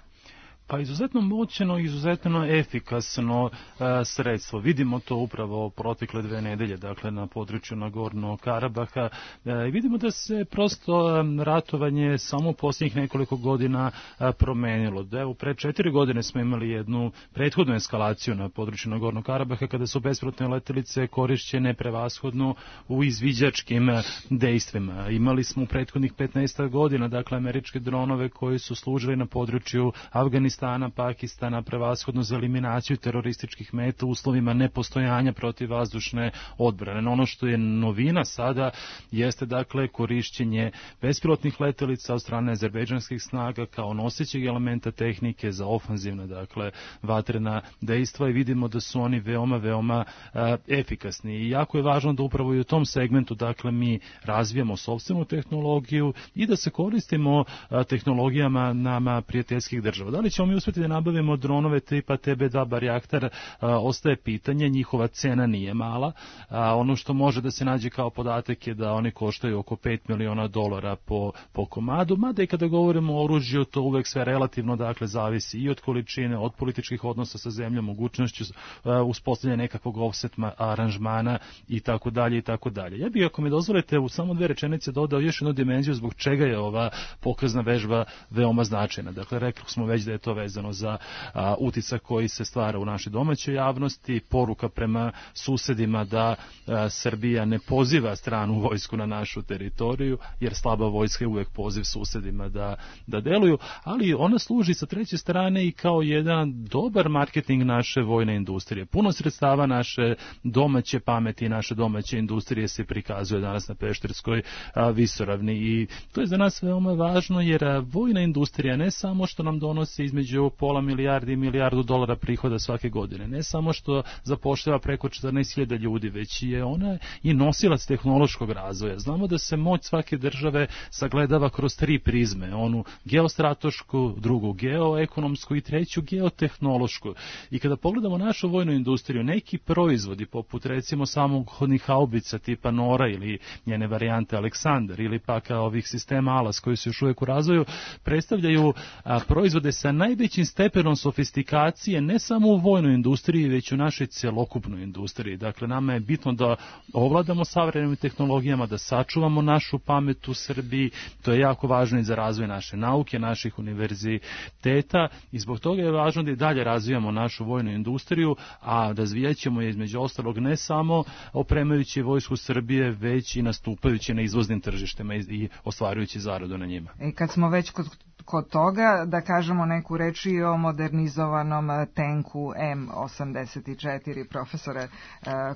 Pa izuzetno moćno i izuzetno efikasno e, sredstvo. Vidimo to upravo protekle dve nedelje, dakle na području Nagorno Karabaha. E, vidimo da se prosto e, ratovanje samo posljednjih nekoliko godina e, promenilo. Da evo, pre četiri godine smo imali jednu prethodnu eskalaciju na području Nagorno Karabaha kada su bespilotne letelice korišćene prevashodno u izviđačkim dejstvima. Imali smo u prethodnih petnaest godina, dakle, američke dronove koji su služili na području Afganistana Afganistana, Pakistana, prevashodno za eliminaciju terorističkih meta u uslovima nepostojanja protivvazdušne odbrane. No, ono što je novina sada jeste dakle korišćenje bespilotnih letelica od strane azerbejdžanskih snaga kao nosećeg elementa tehnike za ofanzivna dakle vatrena dejstva i vidimo da su oni veoma, veoma a, efikasni. I jako je važno da upravo i u tom segmentu dakle mi razvijamo sopstvenu tehnologiju i da se koristimo a, tehnologijama nama prijateljskih država. Da li ćemo mi uspjeti da nabavimo dronove tipa T B dva Barjaktar, ostaje pitanje, njihova cena nije mala. A, ono što može da se nađe kao podatak je da oni koštaju oko pet miliona dolara po, po komadu, mada i kada govorimo o oružju, to uvek sve relativno dakle zavisi i od količine, od političkih odnosa sa zemljom, mogućnošću uh, uspostavljanja nekakvog offset aranžmana i tako dalje i tako dalje. Ja bih, ako mi dozvolite, u samo dve rečenice dodao još jednu dimenziju zbog čega je ova pokazna vežba veoma značajna. Dakle, rekli smo već da je to vezano za uh, uticak koji se stvara u našoj domaćoj javnosti, poruka prema susedima da uh, Srbija ne poziva stranu vojsku na našu teritoriju, jer slaba vojska je uvek poziv susedima da, da deluju, ali ona služi sa treće strane i kao jedan dobar marketing naše vojne industrije. Puno sredstava naše domaće pameti i naše domaće industrije se prikazuje danas na Pešterskoj a, visoravni i to je za nas veoma važno jer a, vojna industrija ne samo što nam donosi između pola milijardi i milijardu dolara prihoda svake godine, ne samo što zapošljava preko četrnaest hiljada ljudi, već je ona i nosilac tehnološkog razvoja. Znamo da se moć svake države sagledava kroz tri prizme, onu geostratešku, drugu geoekonomsku i treću geotehnološku. I kada pogledamo našu vojnu industriju, neki proizvodi, poput recimo samohodnih haubica tipa Nora ili njene varijante Aleksandar ili pak ovih sistema Alas koji su još uvijek u razvoju, predstavljaju a, proizvode sa najvećim stepenom sofistikacije ne samo u vojnoj industriji, već u našoj celokupnoj industriji. Dakle, nama je bitno da ovladamo savremenim tehnologijama, da sačuvamo našu pamet u Srbiji, to je jako važno i za razvoj naše nauke, naših univerziteta i zbog toga je važno da i dalje razvijamo našu vojnu industriju, a razvijat ćemo je između ostalog ne samo opremajući vojsku Srbije, već i nastupajući na izvoznim tržištima i ostvarujući zaradu na njima. E, kad smo već kod, kod toga, da kažemo neku reč i o modernizovanom tenku M osamdeset četiri, profesore e,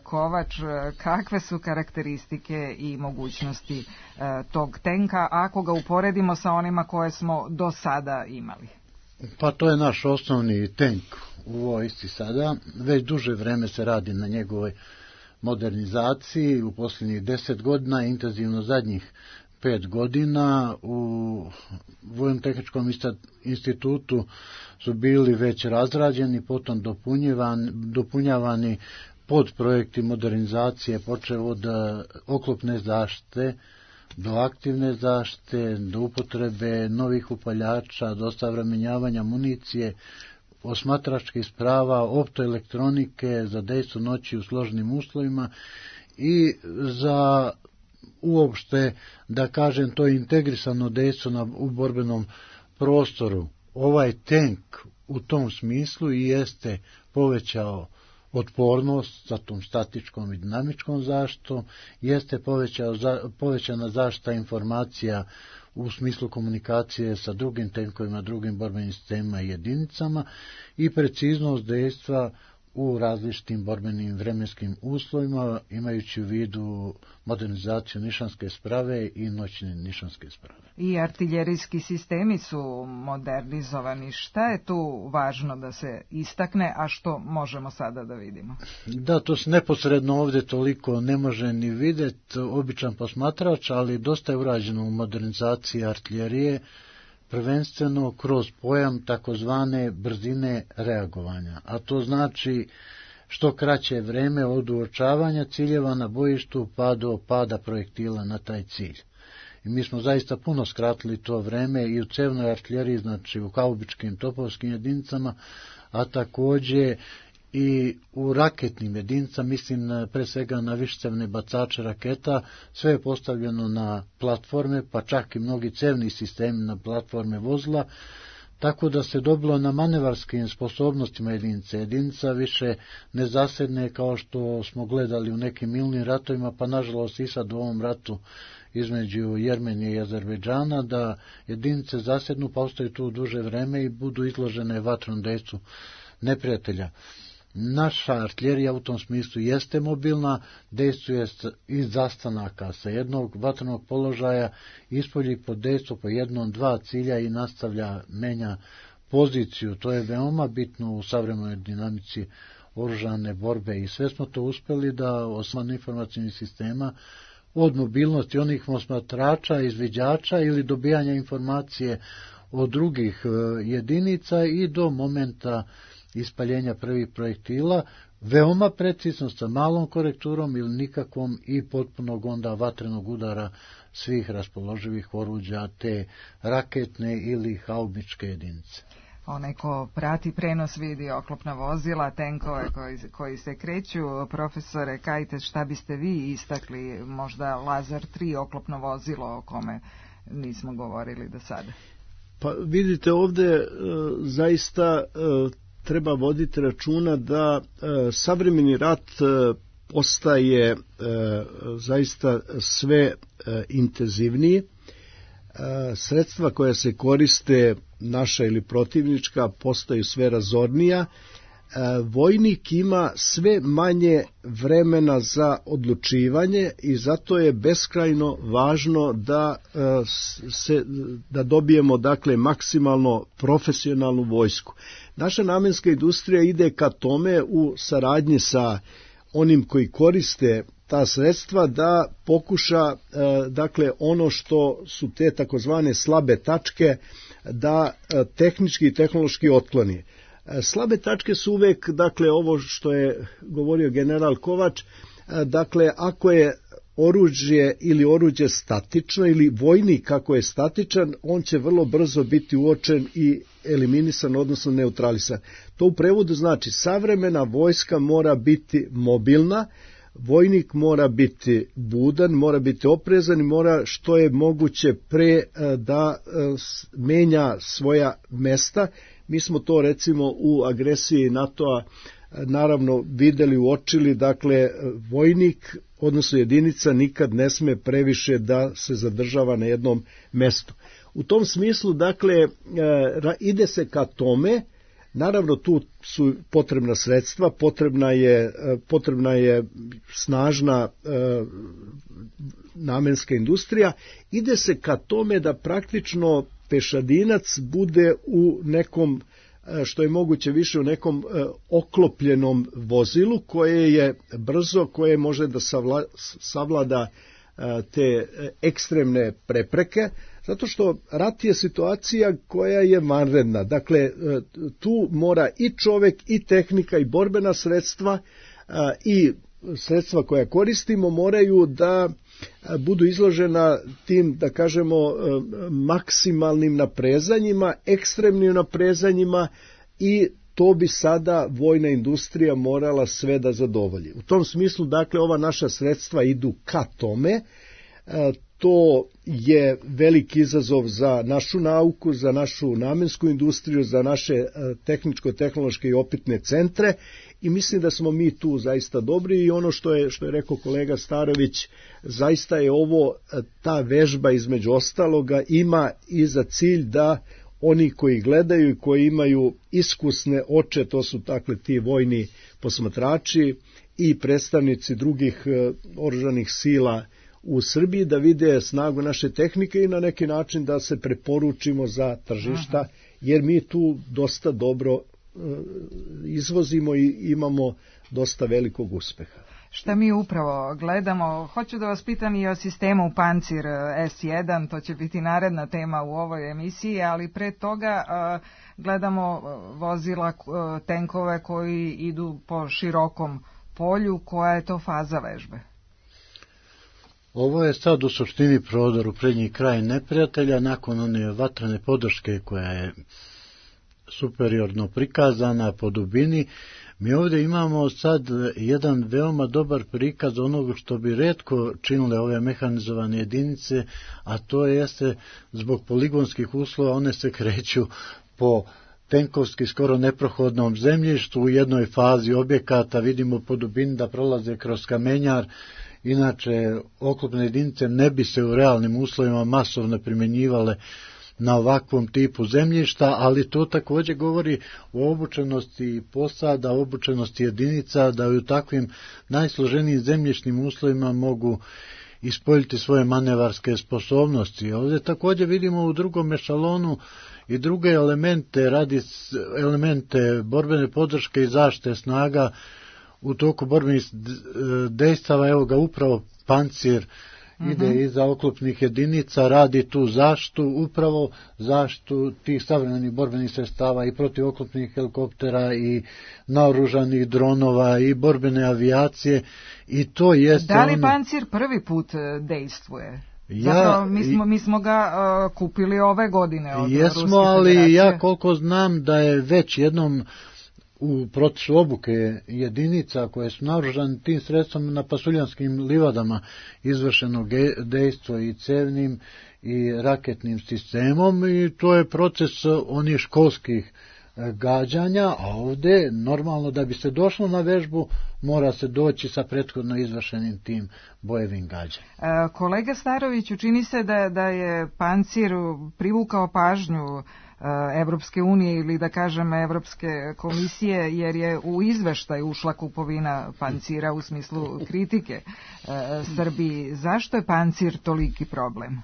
Kovač, kakve su karakteristike i mogućnosti e, tog tenka, ako ga uporedimo sa onima koje smo do sada imali? Pa to je naš osnovni tenk u vojsci sada. Već duže vreme se radi na njegovoj modernizaciji. U posljednjih deset godina, intenzivno zadnjih pet godina, u Vojno-tehničkom institutu su bili već razrađeni, potom dopunjavani, dopunjavani podprojekti modernizacije, počev od oklopne zaštite do aktivne zaštite, do upotrebe novih upaljača, do osavremenjavanja municije, osmatračkih sprava, optoelektronike za dejstvo noći u složenim uslovima i za uopšte, da kažem, to je integrisano dejstvo na, u borbenom prostoru. Ovaj tank u tom smislu i jeste povećao otpornost sa tom statičkom i dinamičkom zaštitom, jeste povećao, povećana zaštita informacija u smislu komunikacije sa drugim tenkovima, drugim borbenim sistemima i jedinicama i preciznost dejstva u različitim borbenim vremenskim uslovima, imajući u vidu modernizaciju nišanske sprave i noćne nišanske sprave. I artiljerijski sistemi su modernizovani. Šta je tu važno da se istakne, a što možemo sada da vidimo? Da, to se neposredno ovdje toliko ne može ni vidjeti običan posmatrač, ali dosta je urađeno u modernizaciji artiljerije, prvenstveno kroz pojam takozvane brzine reagovanja, a to znači što kraće vreme od uočavanja ciljeva na bojištu pa do pada projektila na taj cilj. I mi smo zaista puno skratili to vreme i u cevnoj artiljeriji, znači u haubičkim topovskim jedinicama, a također i u raketnim jedinicama, mislim pre svega na višecevne bacače raketa, sve je postavljeno na platforme, pa čak i mnogi cevni sistemi na platforme vozila, tako da se dobilo na manevarskim sposobnostima jedinice. Jedinica više ne zasedne kao što smo gledali u nekim milnim ratovima, pa nažalost i sad u ovom ratu između Jermenije i Azerbejdžana, da jedinice zasednu, pa ostaju tu duže vreme i budu izložene vatrom dejstvu neprijatelja. Naša artiljerija u tom smislu jeste mobilna, dejstvuje iz zastanaka sa jednog vatrenog položaja, ispolji pod dejstvo po jednom, dva cilja i nastavlja, menja poziciju. To je veoma bitno u savremenoj dinamici oružane borbe i sve smo to uspeli da osnovno informacijnih sistema od mobilnosti onih posmatrača, izviđača ili dobijanja informacije od drugih jedinica i do momenta ispaljenja prvih projektila, veoma precizno sa malom korekturom ili nikakvom i potpunog onda vatrenog udara svih raspoloživih oruđa te raketne ili haubičke jedinice. Onaj ko prati prenos vidi oklopna vozila, tenkove koji, koji se kreću. Profesore Kajtes, šta biste vi istakli, možda Lazar tri oklopno vozilo o kome nismo govorili do sada? Pa vidite, ovde e, zaista e, treba voditi računa da e, savremeni rat e, postaje e, zaista sve e, intenzivniji. E, sredstva koja se koriste, naša ili protivnička, postaju sve razornija. E, vojnik ima sve manje vremena za odlučivanje i zato je beskrajno važno da e, se da dobijemo dakle maksimalno profesionalnu vojsku. Naša namenska industrija ide ka tome u saradnji sa onim koji koriste ta sredstva da pokuša e, dakle ono što su te takozvane slabe tačke da e, tehnički i tehnološki otkloni. E, slabe tačke su uvek, dakle, ovo što je govorio general Kovač, e, dakle, ako je oružje ili oruđe statično ili vojnik kako je statičan, on će vrlo brzo biti uočen i eliminisan, odnosno neutralisan. To u prevodu znači savremena vojska mora biti mobilna, vojnik mora biti budan, mora biti oprezan i mora što je moguće pre da menja svoja mesta. Mi smo to recimo u agresiji NATO-a naravno videli, uočili, dakle vojnik, odnosno jedinica nikad ne sme previše da se zadržava na jednom mestu. U tom smislu, dakle, ide se ka tome, naravno tu su potrebna sredstva, potrebna je, potrebna je snažna e, namenska industrija, ide se ka tome da praktično pešadinac bude u nekom, što je moguće više, u nekom e, oklopljenom vozilu koje je brzo, koje može da savla, savlada e, te ekstremne prepreke, zato što rat je situacija koja je vanredna. Dakle, e, tu mora i čovek, i tehnika, i borbena sredstva, e, i sredstva koja koristimo moraju da budu izložena tim, da kažemo, maksimalnim naprezanjima, ekstremnim naprezanjima i to bi sada vojna industrija morala sve da zadovolji. U tom smislu, dakle, ova naša sredstva idu ka tome. To je veliki izazov za našu nauku, za našu namensku industriju, za naše tehničko-tehnološke i opitne centre i mislim da smo mi tu zaista dobri i ono što je, što je rekao kolega Starović, zaista je ovo, ta vežba između ostaloga ima i za cilj da oni koji gledaju i koji imaju iskusne oče, to su dakle ti vojni posmatrači i predstavnici drugih oružanih sila u Srbiji, da vide snagu naše tehnike i na neki način da se preporučimo za tržišta, jer mi tu dosta dobro izvozimo i imamo dosta velikog uspeha. Šta mi upravo gledamo, hoću da vas pitam i o sistemu Pancir es jedan, to će biti naredna tema u ovoj emisiji, ali pre toga gledamo vozila, tenkove koji idu po širokom polju. Koja je to faza vežbe? Ovo je sad u suštini prodor u prednji kraj neprijatelja nakon one vatrene podrške koja je superiorno prikazana po dubini. Mi ovdje imamo sad jedan veoma dobar prikaz onoga što bi retko činile ove mehanizovane jedinice, a to jeste zbog poligonskih uslova one se kreću po tenkovski skoro neprohodnom zemljištu. U jednoj fazi objekata vidimo po dubini da prolaze kroz kamenjar. Inače, oklopne jedinice ne bi se u realnim uslovima masovno primjenjivale na ovakvom tipu zemljišta, ali to također govori o obučenosti posada, obučenosti jedinica, da u takvim najsloženijim zemljišnim uslovima mogu ispoljiti svoje manevarske sposobnosti. Ovdje također vidimo u drugom ešalonu i druge elemente, radi elemente borbene podrške i zaštite snaga u toku borbenih dejstava. Evo ga upravo pancir mm-hmm. ide iza oklopnih jedinica, radi tu zaštitu, upravo zaštitu tih savremenih borbenih sredstava i protiv oklopnih helikoptera i naoružanih dronova i borbene avijacije. I to jeste da li ono... pancir prvi put dejstvuje? Ja, Zapravo, mi smo, mi smo ga uh, kupili ove godine od jesmo, Ruske ali federacije. ja koliko znam da je već jednom u procesu obuke jedinica koje su naoružane tim sredstvom na pasuljanskim livadama izvršeno dejstvo i cevnim i raketnim sistemom, i to je proces onih školskih gađanja, a ovdje normalno da bi se došlo na vežbu mora se doći sa prethodno izvršenim tim bojevim gađanjem. E, kolega Staroviću, čini se da, da je pancir privukao pažnju Evropske unije ili da kažem Evropske komisije, jer je u izveštaj ušla kupovina pancira u smislu kritike e, Srbiji. Zašto je pancir toliki problem?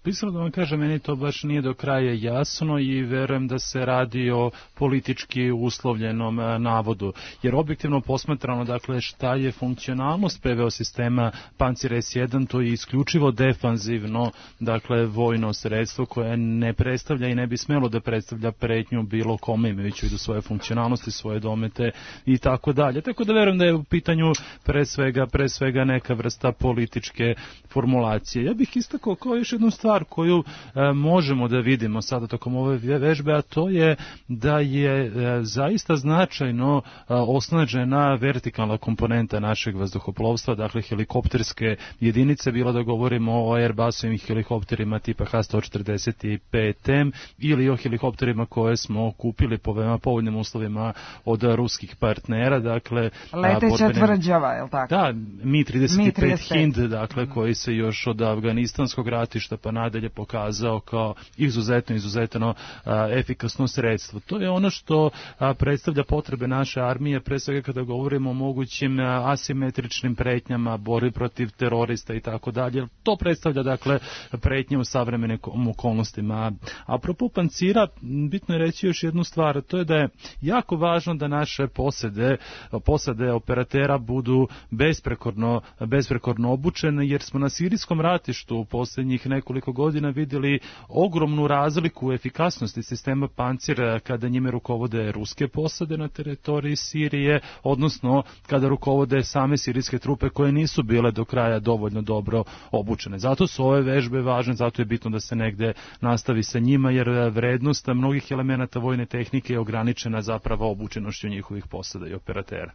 Pisano da vam kažem, meni to baš nije do kraja jasno i verujem da se radi o politički uslovljenom navodu. Jer objektivno posmatrano, dakle, šta je funkcionalnost P V O sistema Pancir S jedan, to je isključivo defanzivno, dakle, vojno sredstvo koje ne predstavlja i ne bi smelo da predstavlja pretnju bilo kome, imajući do svoje funkcionalnosti, svoje domete i tako dalje. Tako da verujem da je u pitanju pre svega, pre svega neka vrsta političke formulacije. Ja bih istakao kao još jednu stvar koju e, možemo da vidimo sada tokom ove vežbe, a to je da je e, zaista značajno e, osnažena vertikalna komponenta našeg vazduhoplovstva, dakle helikopterske jedinice, bilo da govorimo o Airbusovim helikopterima tipa H sto četrdeset pet M ili o helikopterima koje smo kupili po veoma povoljnim uslovima od ruskih partnera, dakle leteća borbene... tvrđava, je li tako? Da, Mi trideset pet Hind, dakle, koji se još od afganistanskog ratišta pa nadalje pokazao kao izuzetno, izuzetno a, efikasno sredstvo. To je ono što a, predstavlja potrebe naše armije, pre svega kada govorimo o mogućim a, asimetričnim pretnjama, borbi protiv terorista i tako dalje. To predstavlja, dakle, pretnje u savremenim okolnostima. A apropo pancira, bitno je reći još jednu stvar, to je da je jako važno da naše posade, posade operatera budu besprekorno, besprekorno obučene, jer smo na sirijskom ratištu u posljednjih nekoliko godina vidjeli ogromnu razliku u efikasnosti sistema Pancir kada njime rukovode ruske posade na teritoriji Sirije, odnosno kada rukovode same sirijske trupe koje nisu bile do kraja dovoljno dobro obučene. Zato su ove vežbe važne, zato je bitno da se negde nastavi sa njima, jer vrednost mnogih elemenata vojne tehnike je ograničena zapravo obučenošću njihovih posada i operatera.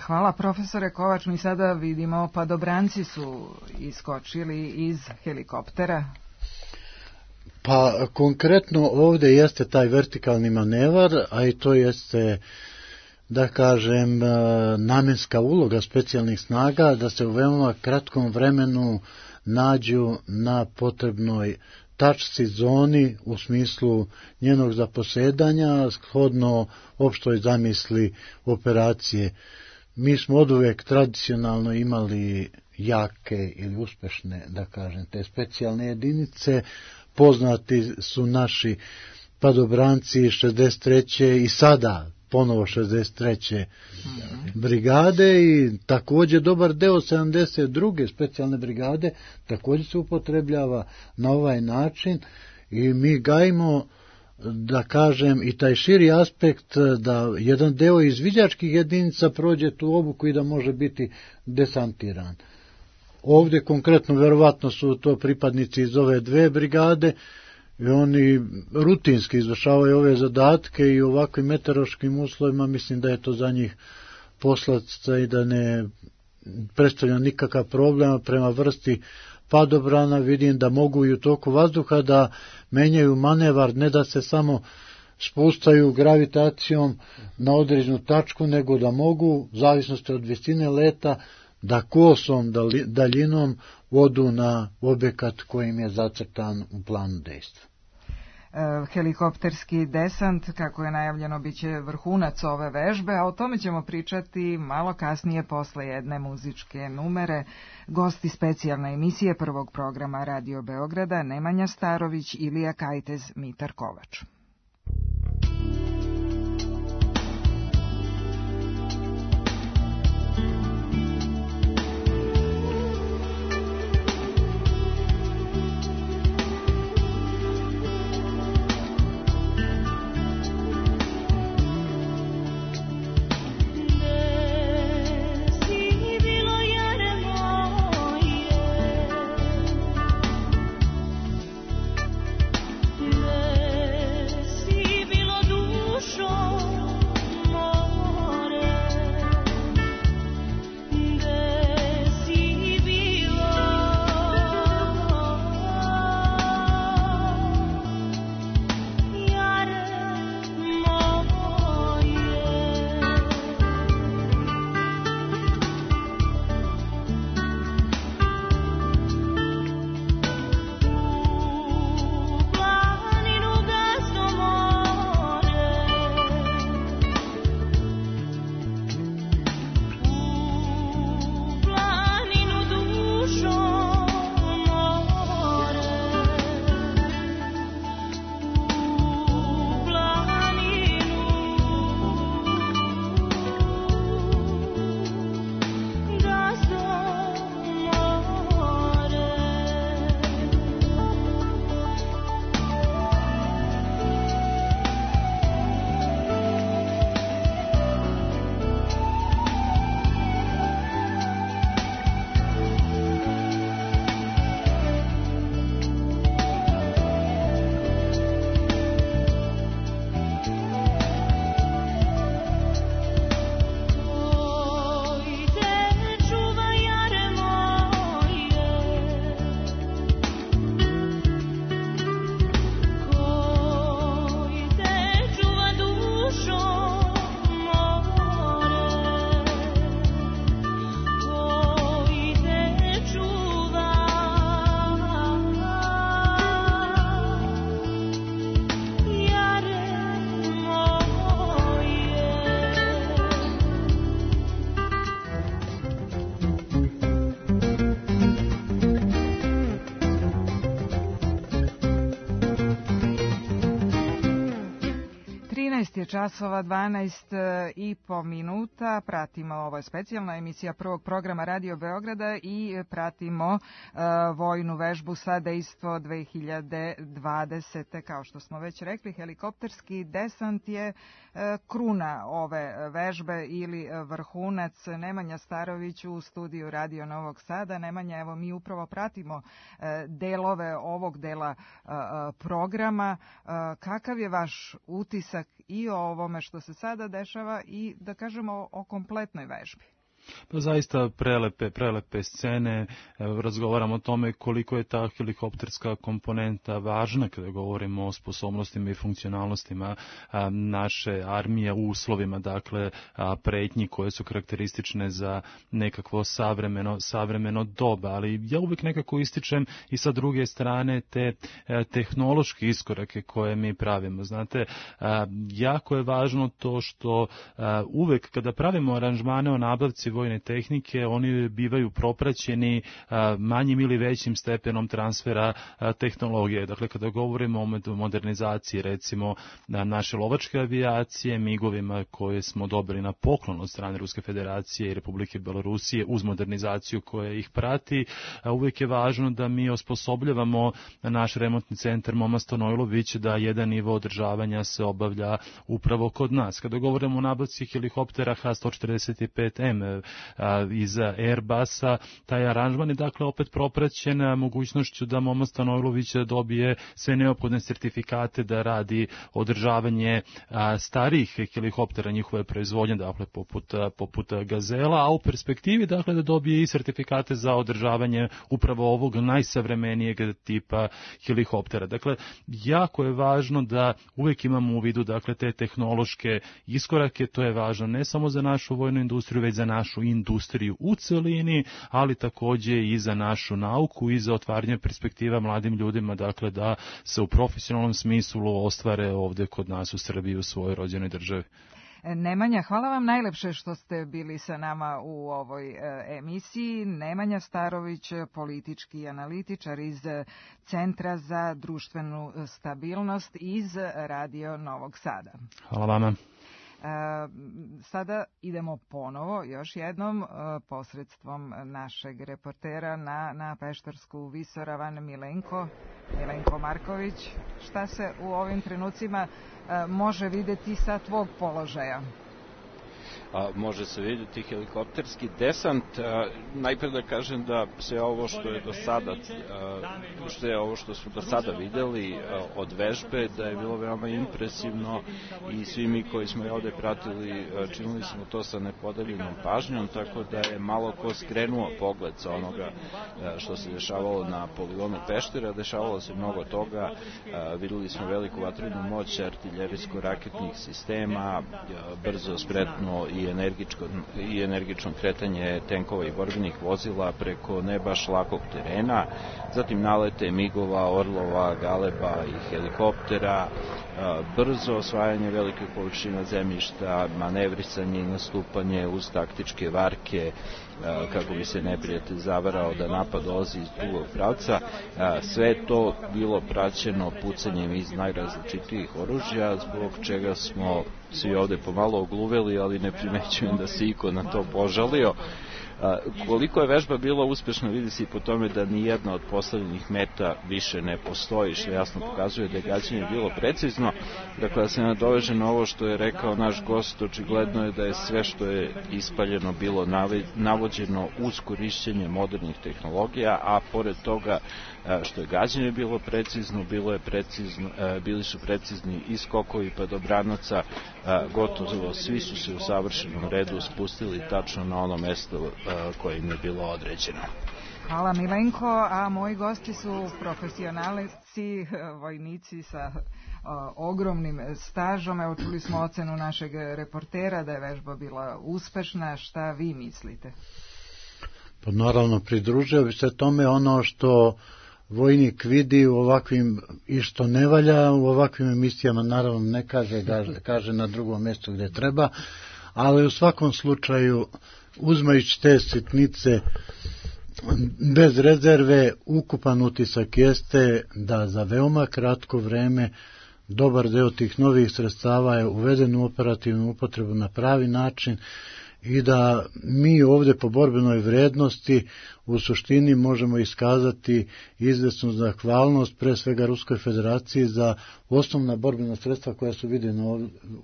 Hvala profesore Kovač, mi sada vidimo padobranci su iskočili iz helikoptera. Pa konkretno ovdje jeste taj vertikalni manevar, a i to jeste, da kažem, namjenska uloga specijalnih snaga da se u veoma kratkom vremenu nađu na potrebnoj tačci zoni u smislu njenog zaposedanja, shodno opštoj zamisli operacije. Mi smo oduvek tradicionalno imali jake ili uspešne, da kažem, te specijalne jedinice. Poznati su naši padobranci šezdeset treće i sada ponovo šezdeset treće brigade i također dobar deo sedamdeset druge specijalne brigade također se upotrebljava na ovaj način i mi gajimo, da kažem, i taj širi aspekt da jedan deo izviđačkih jedinica prođe tu obuku i da može biti desantiran. Ovdje konkretno verovatno su to pripadnici iz ove dve brigade i oni rutinski izvršavaju ove zadatke i u ovakvim meteorološkim uslovima mislim da je to za njih poslastica i da ne predstavlja nikakav problem prema vrsti padobrana. Vidim da mogu i u toku vazduha da menjaju manevar, ne da se samo spustaju gravitacijom na određenu tačku, nego da mogu, u zavisnosti od visine leta, da kosom daljinom odu na objekat kojim je zacrtan u planu dejstva. Helikopterski desant, kako je najavljeno, bit će vrhunac ove vežbe, a o tome ćemo pričati malo kasnije posle jedne muzičke numere. Gosti specijalne emisije prvog programa Radio Beograda Nemanja Starović, Ilija Kajtez, Mitar Kovač. je časova, dvanaest i po minuta. Pratimo, ovo je specijalna emisija prvog programa Radio Beograda i pratimo uh, vojnu vežbu sa dejstvo dve hiljade dvadesete. Kao što smo već rekli, helikopterski desant je uh, kruna ove vežbe ili vrhunac. Nemanja Starović u studiju Radio Novog Sada. Nemanja, evo mi upravo pratimo uh, delove ovog dela uh, programa. Uh, kakav je vaš utisak i o ovome što se sada dešava i da kažemo o kompletnoj vežbi? Pa zaista prelepe, prelepe scene, razgovaramo o tome koliko je ta helikopterska komponenta važna kada govorimo o sposobnostima i funkcionalnostima naše armije u uslovima, dakle, pretnji koje su karakteristične za nekakvo savremeno, savremeno doba, ali ja uvijek nekako ističem i sa druge strane te tehnološke iskorake koje mi pravimo. Znate, jako je važno to što uvijek kada pravimo aranžmane o nabavci vojne tehnike, oni bivaju propraćeni a, manjim ili većim stepenom transfera a, tehnologije. Dakle, kada govorimo o modernizaciji, recimo, na naše lovačke avijacije, migovima koje smo dobili na poklon od strane Ruske federacije i Republike Belorusije uz modernizaciju koja ih prati, a, uvijek je važno da mi osposobljavamo naš remontni centar Moma Stanojlović da jedan nivo održavanja se obavlja upravo kod nas. Kada govorimo o nabavci helikoptera H sto četrdeset pet M je a, iza Airbusa. Taj aranžman je dakle opet propraćen mogućnošću da Momo Stanojlović dobije sve neophodne sertifikate da radi održavanje a, starijih helikoptera njihove proizvodnje, dakle poput, a, poput Gazela, a u perspektivi dakle da dobije i sertifikate za održavanje upravo ovog najsavremenijeg tipa helikoptera. Dakle, jako je važno da uvek imamo u vidu dakle te tehnološke iskorake, to je važno ne samo za našu vojnu industriju, već za našu industriju u celini, ali takođe i za našu nauku i za otvaranje perspektiva mladim ljudima, dakle da se u profesionalnom smislu ostvare ovde kod nas u Srbiji, u svojoj rođenoj državi. Nemanja, hvala vam najlepše što ste bili sa nama u ovoj emisiji. Nemanja Starović, politički analitičar iz Centra za društvenu stabilnost iz Radio Novog Sada. Hvala vama. Sada idemo ponovo, još jednom, posredstvom našeg reportera na, na Peštarsku visoravan Milenko, Milenko Marković. Šta se u ovim trenucima može videti sa tvog položaja? A, može se vidjeti helikopterski desant. A, najpre da kažem da sve ovo što je do sada, a, što je ovo što smo do sada videli a, od vežbe, da je bilo veoma impresivno i svi mi koji smo je ovde pratili a, činili smo to sa nepodeljenom pažnjom, tako da je malo ko skrenuo pogled sa onoga a, što se dešavalo na poligonu Peštera. Dešavalo se mnogo toga, a, videli smo veliku vatrenu moć artiljerijsko-raketnih sistema, a, brzo, spretno i energičko, i energično kretanje tenkova i borbenih vozila preko ne baš lakog terena, zatim nalete migova, orlova, galeba i helikoptera, brzo osvajanje velike površina zemljišta, manevrisanje i nastupanje uz taktičke varke kako bi se neprijatelj zavarao da napad dolazi iz drugog pravca. Sve to bilo praćeno pucanjem iz najrazličitijih oružja, zbog čega smo svi ovde pomalo ogluveli, ali ne primećujem da se iko na to požalio. A, koliko je vežba bila uspešna vidi se i po tome da ni jedna od postavljenih meta više ne postoji, što jasno pokazuje da je gađanje bilo precizno. Dakle, da se nadoveže na ovo što je rekao naš gost, očigledno je da je sve što je ispaljeno bilo navođeno uz korišćenje modernih tehnologija, a pored toga što je gađanje bilo precizno, bilo je precizno, bili su precizni i skokovi padobranaca, gotovo svi su se u savršenom redu spustili tačno na ono mesto koje im je bilo određeno. Hvala Milenko, a moji gosti su profesionalci, vojnici sa o, ogromnim stažom. Evo, čuli smo ocenu našeg reportera da je vežba bila uspešna. Šta vi mislite? Pa naravno, pridružio bi se tome. Ono što vojnik vidi u ovakvim i što ne valja u ovakvim emisijama, naravno ne kaže, kaže na drugom mjestu gdje treba, ali u svakom slučaju uzmajući te sitnice bez rezerve, ukupan utisak jeste da za veoma kratko vreme dobar deo tih novih sredstava je uveden u operativnu upotrebu na pravi način i da mi ovdje po borbenoj vrednosti u suštini možemo iskazati izvesnu zahvalnost pre svega Ruskoj federaciji za osnovna borbena sredstva koja su vidjena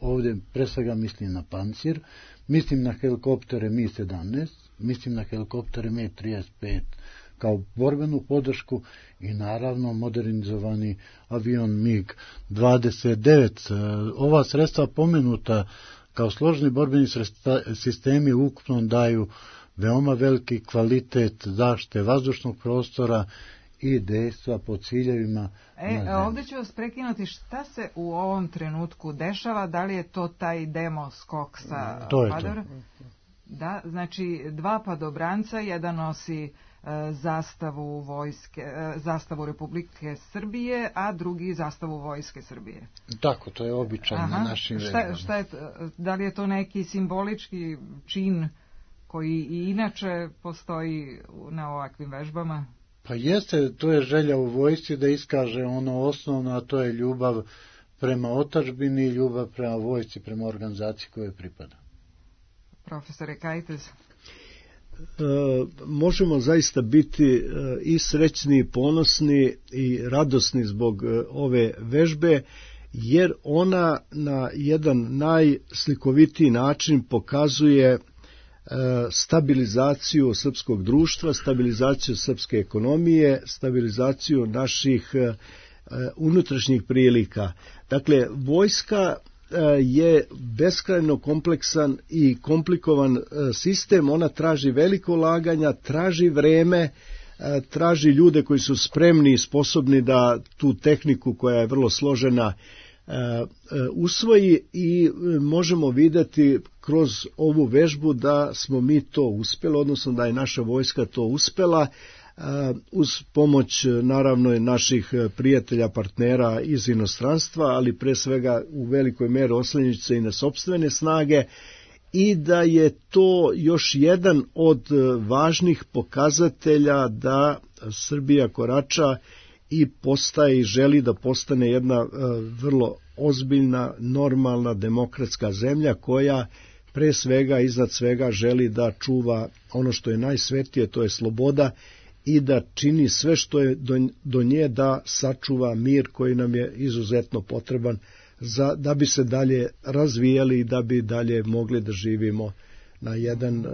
ovdje, pre svega mislim na pancir, mislim na helikoptere Mi sedamnaest, mislim na helikoptere Mi trideset pet kao borbenu podršku i naravno modernizovani avion MiG dvadeset devet. Ova sredstva pomenuta kao složeni borbeni sistemi ukupno daju veoma veliki kvalitet zaštite vazdušnog prostora i dejstva po ciljevima. E, ovdje ću vas prekinuti. Šta se u ovom trenutku dešava? Da li je to taj demo skok sa to je padora? To. Da, znači dva padobranca, jedan nosi e, zastavu vojske, e, zastavu Republike Srbije, a drugi zastavu Vojske Srbije. Tako, to je običaj na našim šta, šta je, da li je to neki simbolički čin koji i inače postoji na ovakvim vežbama? Pa jeste, to je želja u vojsci da iskaže ono osnovno, a to je ljubav prema otadžbini i ljubav prema vojsci, prema organizaciji kojoj pripada. Profesore Kajtez. E, možemo zaista biti e, i srećni, i ponosni i radosni zbog e, ove vežbe, jer ona na jedan najslikovitiji način pokazuje stabilizaciju srpskog društva, stabilizaciju srpske ekonomije, stabilizaciju naših unutrašnjih prilika. Dakle, vojska je beskrajno kompleksan i komplikovan sistem, ona traži veliko ulaganja, traži vreme, traži ljude koji su spremni i sposobni da tu tehniku koja je vrlo složena usvoji i možemo videti kroz ovu vežbu da smo mi to uspeli, odnosno da je naša vojska to uspela uz pomoć naravno naših prijatelja, partnera iz inostranstva, ali pre svega u velikoj meri oslanjajući se i na sopstvene snage, i da je to još jedan od važnih pokazatelja da Srbija korača i postaje i želi da postane jedna vrlo ozbiljna, normalna, demokratska zemlja koja pre svega, iznad svega želi da čuva ono što je najsvetije, to je sloboda, i da čini sve što je do, do nje da sačuva mir koji nam je izuzetno potreban za, da bi se dalje razvijali i da bi dalje mogli da živimo na jedan uh,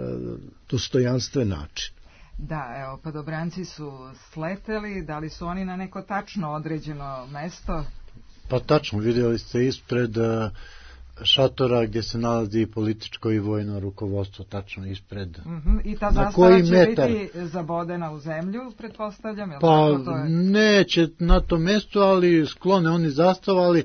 dostojanstven način. Da, evo, padobranci su sleteli, da li su oni na neko tačno određeno mesto? Pa tačno, vidjeli ste ispred uh, šatora gdje se nalazi političko i vojno rukovodstvo, tačno ispred. Uh-huh. I ta zastava će metar? biti zabodena u zemlju, pretpostavljam? Je pa tako, to je? Neće na tom mjestu, ali sklone oni zastavali, e,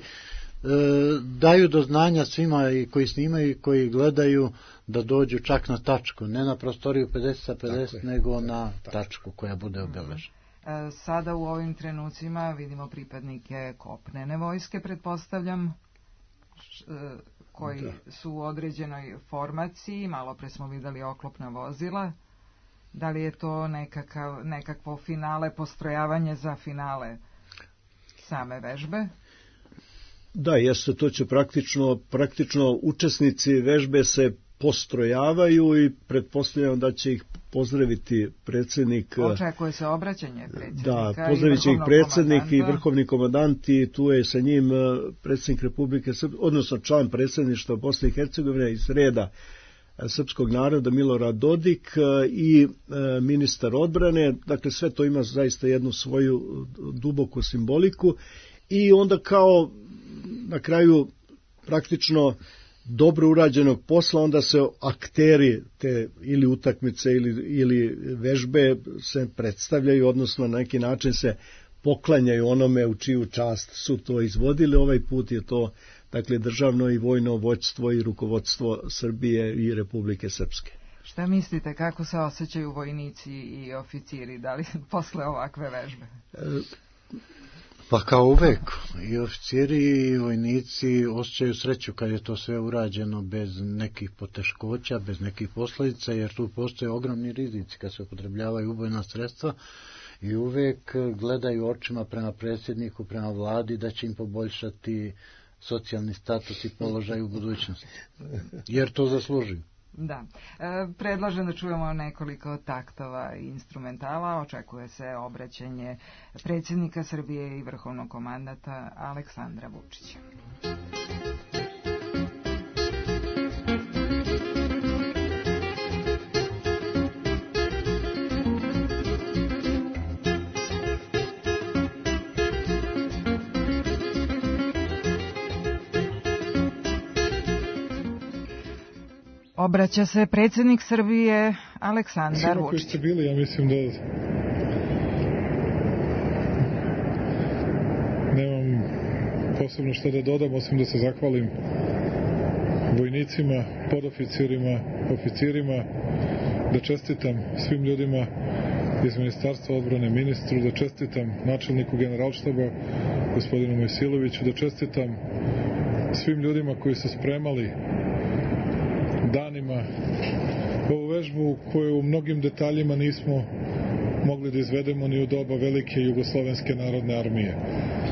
daju do znanja svima i koji snimaju i koji gledaju da dođu čak na tačku, ne na prostoriju pedeset sa pedeset, nego na tačku koja bude obeležena. E, sada u ovim trenucima vidimo pripadnike kopnene vojske, pretpostavljam, koji da. su u određenoj formaciji, malo pre smo videli oklopna vozila. Da li je to nekakav, nekakvo finale, postrojavanje za finale same vežbe? Da, jeste, to će praktično, praktično učesnici vežbe se postrojavaju i pretpostavljam da će ih pozdraviti predsjednik. Očekuje se obraćanje predsjednika. Da, pozdravit će ih predsjednik i vrhovni komandant, i tu je sa njim predsjednik Republike Srpske, odnosno član predsjedništva Bosne i Hercegovine iz reda srpskog naroda Milorad Dodik i ministar odbrane. Dakle, sve to ima zaista jednu svoju duboku simboliku i onda kao na kraju praktično dobro urađenog posla, onda se akteri te ili utakmice ili, ili vežbe se predstavljaju, odnosno na neki način se poklanjaju onome u čiju čast su to izvodili. Ovaj put je to, dakle, državno i vojno vođstvo i rukovodstvo Srbije i Republike Srpske. Šta mislite, kako se osjećaju vojnici i oficiri, da li posle ovakve vežbe? E, Pa kao uvek, i oficiri i vojnici osjećaju sreću kad je to sve urađeno bez nekih poteškoća, bez nekih posljedica, jer tu postoje ogromni rizici kad se upotrebljavaju ubojna sredstva, i uvek gledaju očima prema predsjedniku, prema vladi da će im poboljšati socijalni status i položaj u budućnosti, jer to zaslužuju. Da. E, predlažem da čujemo nekoliko taktova i instrumentala. Očekuje se obraćanje predsjednika Srbije i vrhovnog komandanta Aleksandra Vučića. Obraća se predsjednik Srbije Aleksandar Vučić. Koji ste bili, ja mislim da nemam posebno što da dodam, osim da se zahvalim vojnicima, podoficirima, oficirima, da čestitam svim ljudima iz Ministarstva odbrane, ministru, da čestitam načelniku generalštaba gospodinu Mojsiloviću, da čestitam svim ljudima koji su spremali danima ovu vežbu koju u mnogim detaljima nismo mogli da izvedemo ni u doba velike Jugoslovenske narodne armije.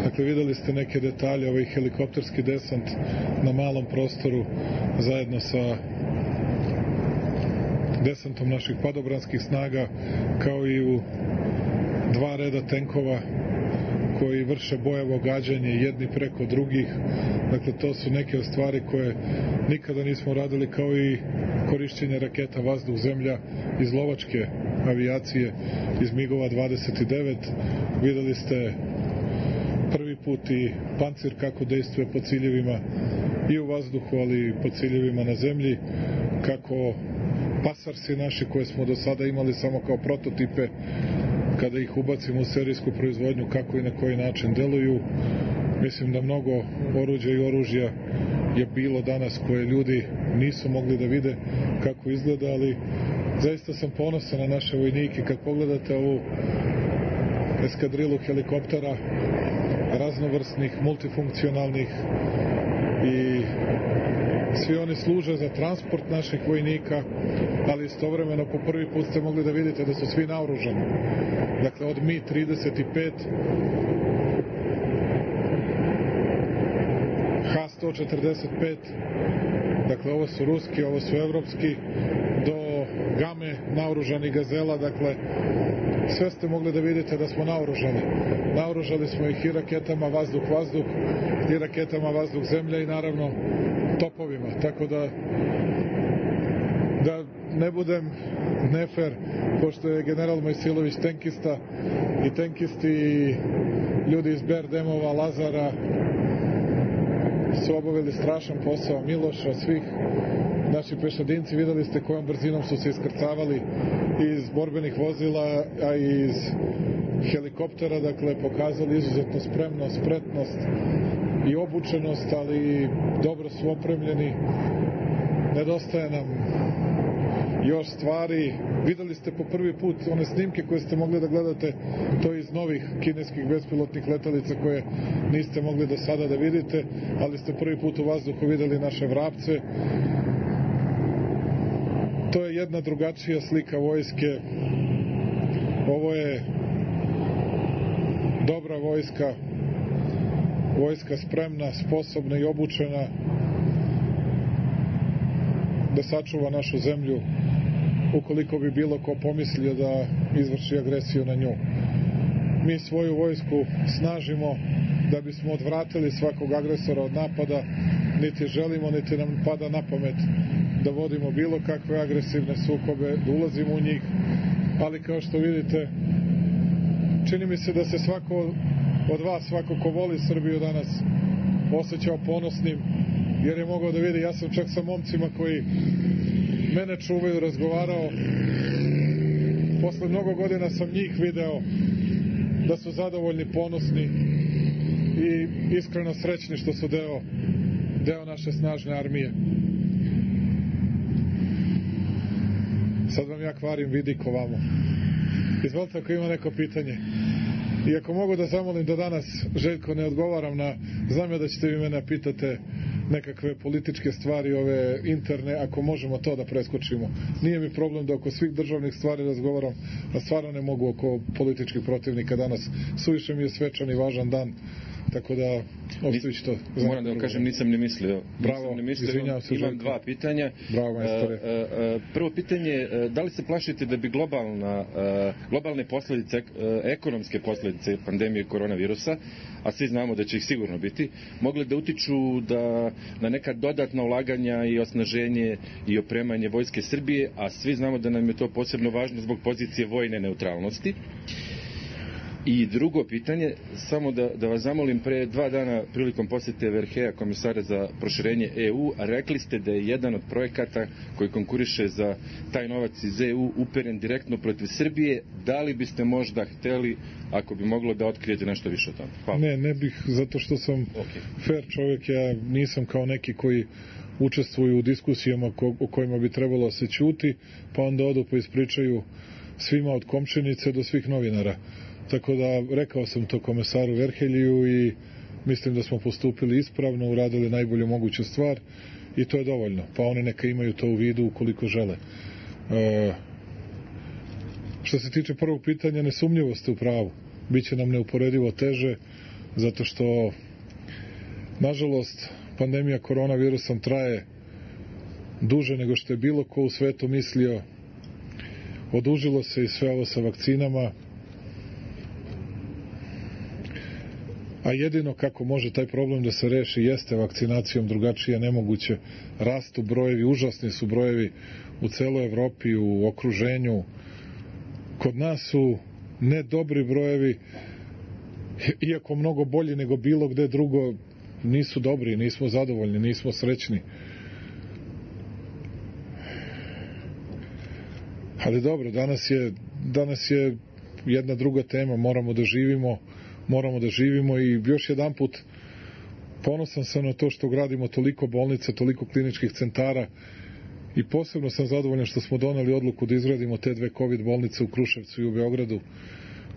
Dakle, videli ste neke detalje, ovaj helikopterski desant na malom prostoru zajedno sa desantom naših padobranskih snaga, kao i u dva reda tenkova koji vrše bojevo gađanje jedni preko drugih. Dakle, to su neke stvari koje nikada nismo radili, kao i korišćenje raketa vazduh-zemlja iz lovačke avijacije, iz migova dvadeset devet. Videli ste prvi put i pancir kako dejstvuje po ciljevima i u vazduhu, ali i po ciljevima na zemlji, kako pasarsi naši koje smo do sada imali samo kao prototipe, kada ih ubacimo u serijsku proizvodnju, kako i na koji način deluju. Mislim da mnogo oruđa i oružja je bilo danas koje ljudi nisu mogli da vide kako izgleda, ali zaista sam ponosan na naše vojnike. Kad pogledate ovu eskadrilu helikoptera raznovrsnih, multifunkcionalnih, i svi oni služe za transport naših vojnika, ali istovremeno po prvi put ste mogli da vidite da su svi naoružani. Dakle, od Mi trideset pet, Ha sto četrdeset pet, dakle ovo su ruski, ovo su evropski, do Game naoružani Gazela, dakle sve ste mogli da vidite da smo naoružani. Naoružali smo ih i raketama vazduh-vazduh, i raketama vazduh-zemlja, i naravno topovima, tako da da ne budem nefer, pošto je general Mojsilović tenkista, i tenkisti i ljudi iz Berdemova, Lazara su obavili strašan posao, Miloša, svih. Naši pešadinci, videli ste kojom brzinom su se iskrcavali iz borbenih vozila, a i iz helikoptera, dakle pokazali izuzetno spremnost, spretnost i obučenost, ali dobro su opremljeni. Nedostaje nam još stvari. Videli ste po prvi put one snimke koje ste mogli da gledate, to iz novih kineskih bespilotnih letelica koje niste mogli do sada da vidite, ali ste prvi put u vazduhu videli naše vrapce. To je jedna drugačija slika vojske. Ovo je dobra vojska, vojska spremna, sposobna i obučena da sačuva našu zemlju ukoliko bi bilo ko pomislio da izvrši agresiju na nju. Mi svoju vojsku snažimo da bismo odvratili svakog agresora od napada, niti želimo, niti nam pada na pamet da vodimo bilo kakve agresivne sukobe, da ulazimo u njih, ali kao što vidite, čini mi se da se svako od vas, svako ko voli Srbiju danas, osjećao ponosnim, jer je mogao da vidi, ja sam čak sa momcima koji mene čuvaju razgovarao, posle mnogo godina sam njih video da su zadovoljni, ponosni i iskreno srećni što su deo, deo naše snažne armije. Sad vam ja kvarim vidiko vamo. Izvolite ako ima neko pitanje. I ako mogu da zamolim da danas, Željko, ne odgovaram na, znam ja da ćete vi mene pitate nekakve političke stvari, ove interne, ako možemo to da preskočimo. Nije mi problem da oko svih državnih stvari razgovaram, a stvarno ne mogu oko političkih protivnika danas. Suviše mi je svečan i važan dan, tako da ostavić to. Moram da vam kažem, nisam ni mislio. Bravo, nisam mislio, izvinjavam se. Imam dva pitanja. Bravo, majstore. Prvo pitanje, da li se plašite da bi globalna, globalne posljedice, ekonomske posljedice pandemije koronavirusa, a svi znamo da će ih sigurno biti, mogle da utiču da na neka dodatna ulaganja i osnaženje i opremanje Vojske Srbije, a svi znamo da nam je to posebno važno zbog pozicije vojne neutralnosti. I drugo pitanje, samo da, da vas zamolim, pre dva dana prilikom posjete Verheja, komisara za proširenje E U, rekli ste da je jedan od projekata koji konkuriše za taj novac iz E U uperen direktno protiv Srbije. Da li biste možda hteli, ako bi moglo, da otkrijete nešto više o tome? Hvala. Ne, ne bih, zato što sam okay. fair čovjek, ja nisam kao neki koji učestvuju u diskusijama ko, o kojima bi trebalo se ćuti, pa onda odu pa ispričaju svima od Komčenice do svih novinara. Tako da rekao sam to komesaru Verhelju i mislim da smo postupili ispravno, uradili najbolju moguću stvar i to je dovoljno. Pa oni neka imaju to u vidu ukoliko žele. E, što se tiče prvog pitanja, nesumnjivo ste u pravu. Biće nam neuporedivo teže, zato što nažalost pandemija koronavirusom traje duže nego što je bilo ko u svetu mislio. Odužilo se i sve ovo sa vakcinama. a jedino kako može taj problem da se reši jeste vakcinacijom, drugačije nemoguće. Rastu brojevi, užasni su brojevi u celoj Evropi, u okruženju. Kod nas su ne dobri brojevi, iako mnogo bolji nego bilo gde drugo, nisu dobri, nismo zadovoljni, nismo srećni. Ali dobro, danas je, danas je jedna druga tema, moramo da živimo, moramo da živimo i još jedan put ponosan sam na to što gradimo toliko bolnica, toliko kliničkih centara i posebno sam zadovoljan što smo doneli odluku da izgradimo te dve COVID bolnice u Kruševcu i u Beogradu,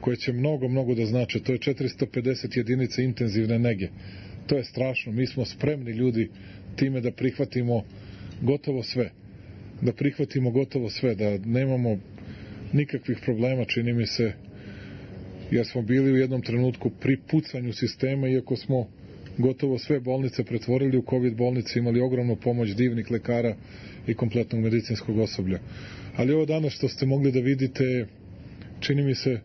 koje će mnogo, mnogo da znače. To je četiristo pedeset jedinica intenzivne nege. To je strašno. Mi smo spremni ljudi time da prihvatimo gotovo sve. Da prihvatimo gotovo sve, da nemamo nikakvih problema, čini mi se, jer smo bili u jednom trenutku pri pucanju sistema, iako smo gotovo sve bolnice pretvorili u COVID bolnice, imali ogromnu pomoć divnih lekara i kompletnog medicinskog osoblja. Ali ovo danas što ste mogli da vidite, čini mi se,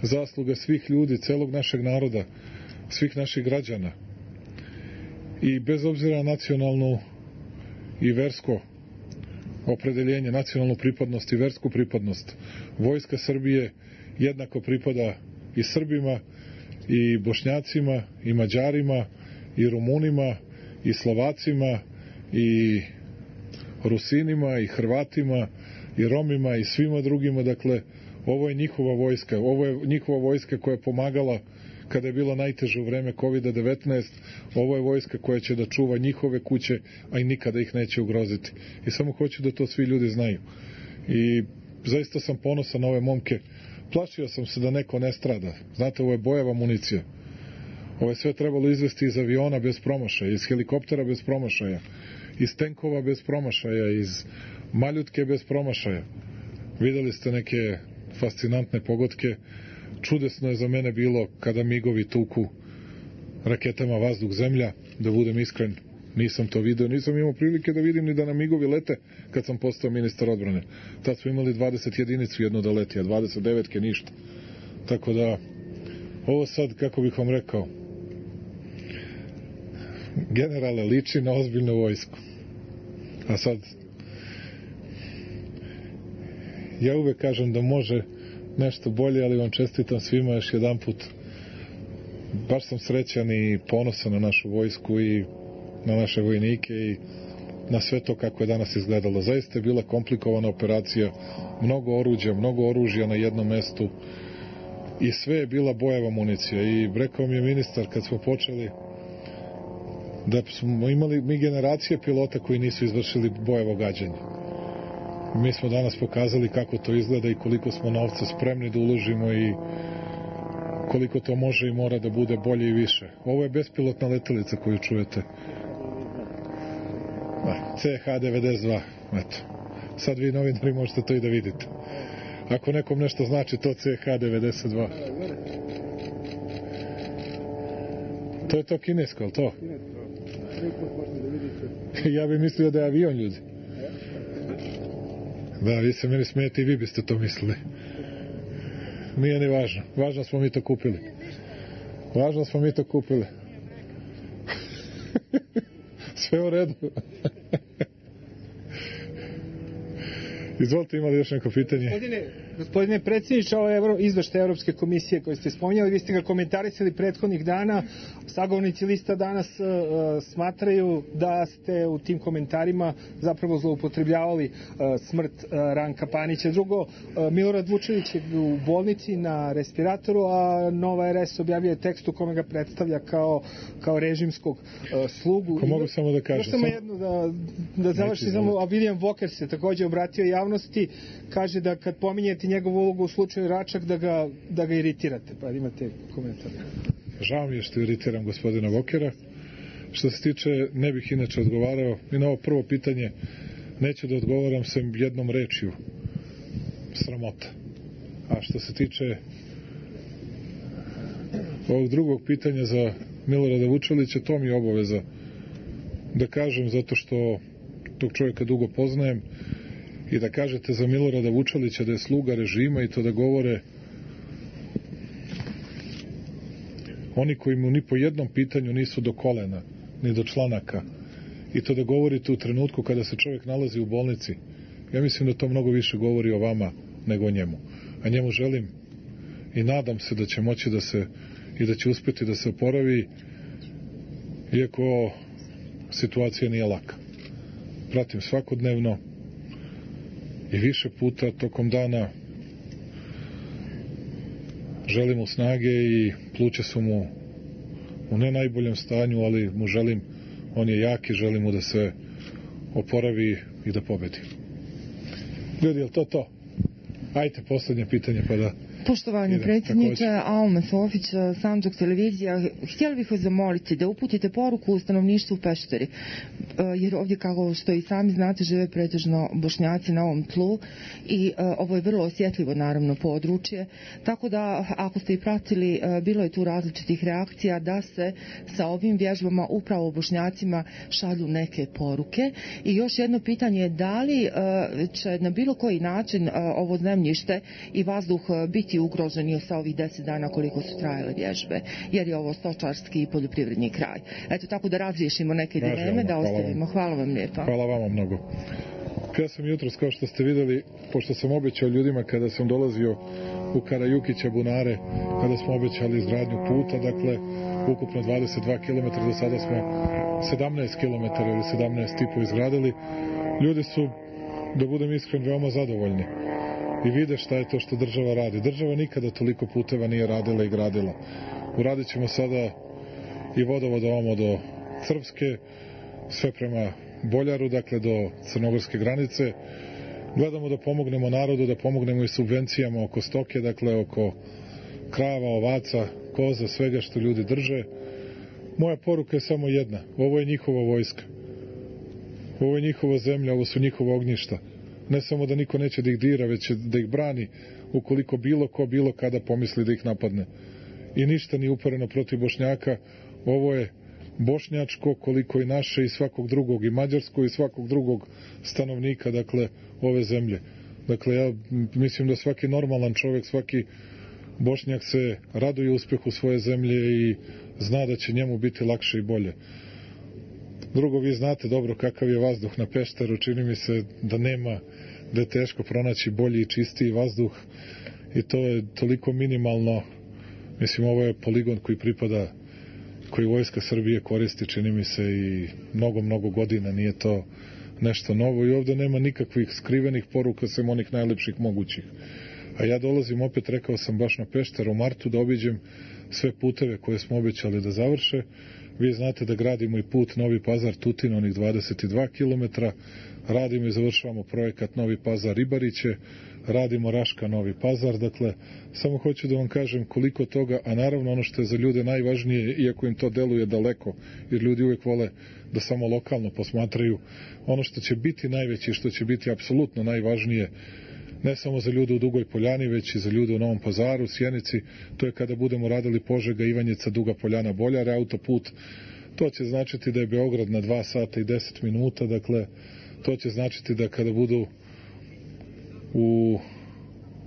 zasluga svih ljudi, celog našeg naroda, svih naših građana. I bez obzira na nacionalnu i versko opredeljenje, nacionalnu pripadnost i versku pripadnost, Vojska Srbije jednako pripada i Srbima, i Bošnjacima, i Mađarima, i Rumunima, i Slovacima, i Rusinima, i Hrvatima, i Romima, i svima drugima. Dakle, ovo je njihova vojska, ovo je njihova vojska koja je pomagala kada je bilo najteže u vreme kovid devetnaest, ovo je vojska koja će da čuva njihove kuće, a i nikada ih neće ugroziti. I samo hoću da to svi ljudi znaju. I zaista sam ponosan na ove momke. Plašio sam se da neko ne strada. Znate, ovo je bojava municija. Ovo je sve trebalo izvesti iz aviona bez promašaja, iz helikoptera bez promašaja, iz tenkova bez promašaja, iz maljutke bez promašaja. Videli ste neke fascinantne pogodke. Čudesno je za mene bilo kada migovi tuku raketama vazduh-zemlja, da budem iskren, nisam to video, nisam imao prilike da vidim ni da na migovi lete kad sam postao ministar odbrane. Tad smo imali dvadeset jedinicu jedno da leti, a dvadeset devetke ništa. Tako da, ovo sad, kako bih vam rekao, generale, liči na ozbiljnu vojsku. A sad, ja uvek kažem da može nešto bolje, ali vam čestitam svima još jedan put. Baš sam srećan i ponosan na našu vojsku i na naše vojnike i na sve to kako je danas izgledalo. Zaista je bila komplikovana operacija, mnogo oruđa, mnogo oružja na jednom mestu i sve je bila bojeva municija. I rekao mi je ministar kad smo počeli da smo imali mi generacije pilota koji nisu izvršili bojevo gađanje. Mi smo danas pokazali kako to izgleda i koliko smo novca spremni da uložimo i koliko to može i mora da bude bolje i više. Ovo je bespilotna letelica koju čujete. C H devedeset dva. Eto. Sad vi novinari možete to i da vidite. Ako nekom nešto znači to C H devedeset dva. To je to kinesko, ali to? Ja bih mislio da je avion, ljudi. Da, vi se meni smijete i vi biste to mislili. Nije ni važno. Važno smo mi to kupili. Važno smo mi to kupili. Sve u redu. Izvolite, imali još neko pitanje? Gospodine, gospodine predsjedniče, ovo je izveštaj Evropske komisije koji ste spominjali, vi ste ga komentarisali prethodnih dana. Sagovornici lista danas uh, smatraju da ste u tim komentarima zapravo zloupotrebljavali uh, smrt uh, Ranka Panića. Drugo, uh, Milorad Vučević je u bolnici na respiratoru, a Nova R S objavljuje tekst u kome ga predstavlja kao, kao režimskog uh, slugu. Ko mogu samo da kažem? Samo jedno da, da završi, samo, a William Walker se također obratio javnosti, kaže da kad pominjete njegovu ulogu u slučaju Račak da ga, da ga iritirate. Pa imate komentar. Žao mi je što iritiram gospodina Vokera. Što se tiče, ne bih inače odgovarao. I na ovo prvo pitanje neću da odgovaram sem jednom rečju. Sramota. A što se tiče ovog drugog pitanja za Milorada Vučelića, to mi je obaveza da kažem, zato što tog čovjeka dugo poznajem, i da kažete za Milorada Vučelića da je sluga režima i to da govore oni koji mu ni po jednom pitanju nisu do kolena, ni do članaka, i to da govorite u trenutku kada se čovjek nalazi u bolnici, ja mislim da to mnogo više govori o vama nego o njemu. A njemu želim i nadam se da će moći da se i da će uspjeti da se oporavi, iako situacija nije laka. Pratim svakodnevno i više puta tokom dana, želim mu snage i pluća su mu u ne najboljem stanju, ali mu želim, on je jak i želim mu da se oporavi i da pobedi. Ljudi, je li to to? Ajte, posljednje pitanje pa da... Poštovani predsjedniče, Alma Sofić, Sandžak televizija, htjeli bih vas zamoliti da uputite poruku u stanovništvu Pešteri, jer ovdje, kako što i sami znate, žive pretežno Bošnjaci na ovom tlu i ovo je vrlo osjetljivo, naravno, područje, tako da, ako ste i pratili, bilo je tu različitih reakcija da se sa ovim vježbama upravo Bošnjacima šalju neke poruke. I još jedno pitanje je da li će na bilo koji način ovo zemljište i vazduh biti ugroženi sa ovih deset dana koliko su trajale vježbe, jer je ovo stočarski i poljoprivredni kraj. Eto, tako da razriješimo neke dileme, da ostavimo. Hvala vam lijepa. Hvala vama mnogo. Ja sam jutros, kao što ste vidjeli, pošto sam obećao ljudima kada sam dolazio u Karajukića bunare, kada smo obećali izgradnju puta, dakle, ukupno dvadeset dva kilometra, do sada smo sedamnaest kilometara ili sedamnaest i po izgradili. Ljudi su, da budem iskren, veoma zadovoljni i vide šta je to što država radi. Država nikada toliko puteva nije radila i gradila. Uradit ćemo sada i vodovod ovamo do Crvske, sve prema Boljaru, dakle do crnogorske granice. Gledamo da pomognemo narodu, da pomognemo i subvencijama oko stoke, dakle oko krava, ovaca, koza, svega što ljudi drže. Moja poruka je samo jedna. Ovo je njihova vojska. Ovo je njihova zemlja, ovo su njihova ognjišta. Ne samo da niko neće da ih dira, već da ih brani ukoliko bilo ko, bilo kada pomisli da ih napadne. I ništa nije upereno protiv Bošnjaka. Ovo je bošnjačko, koliko i naše i svakog drugog, i mađarsko i svakog drugog stanovnika, dakle, ove zemlje. Dakle, ja mislim da svaki normalan čovjek, svaki Bošnjak se raduje uspjehu svoje zemlje i zna da će njemu biti lakše i bolje. Drugo, vi znate dobro kakav je vazduh na Pešteru, čini mi se da nema, da je teško pronaći bolji i čistiji vazduh i to je toliko minimalno. Mislim, ovo je poligon koji pripada, koji vojska Srbije koristi, čini mi se, i mnogo, mnogo godina, nije to nešto novo i ovdje nema nikakvih skrivenih poruka, sem onih najlepših mogućih. A ja dolazim, opet rekao sam, baš na Pešter u martu da obiđem sve puteve koje smo obećali da završe. Vi znate da gradimo i put Novi Pazar Tutin, onih dvadeset dva kilometra, radimo i završavamo projekat Novi Pazar Ribariće, radimo Raška Novi Pazar, dakle, samo hoću da vam kažem koliko toga, a naravno ono što je za ljude najvažnije, iako im to deluje daleko, jer ljudi uvijek vole da samo lokalno posmatraju, ono što će biti najveće, što će biti apsolutno najvažnije, ne samo za ljude u Dugoj Poljani, već i za ljude u Novom Pazaru, Sjenici, to je kada budemo radili Požega, Ivanjica, Duga Poljana, Boljare, autoput. To će značiti da je Beograd na dva sata i deset minuta, dakle, to će značiti da kada budu u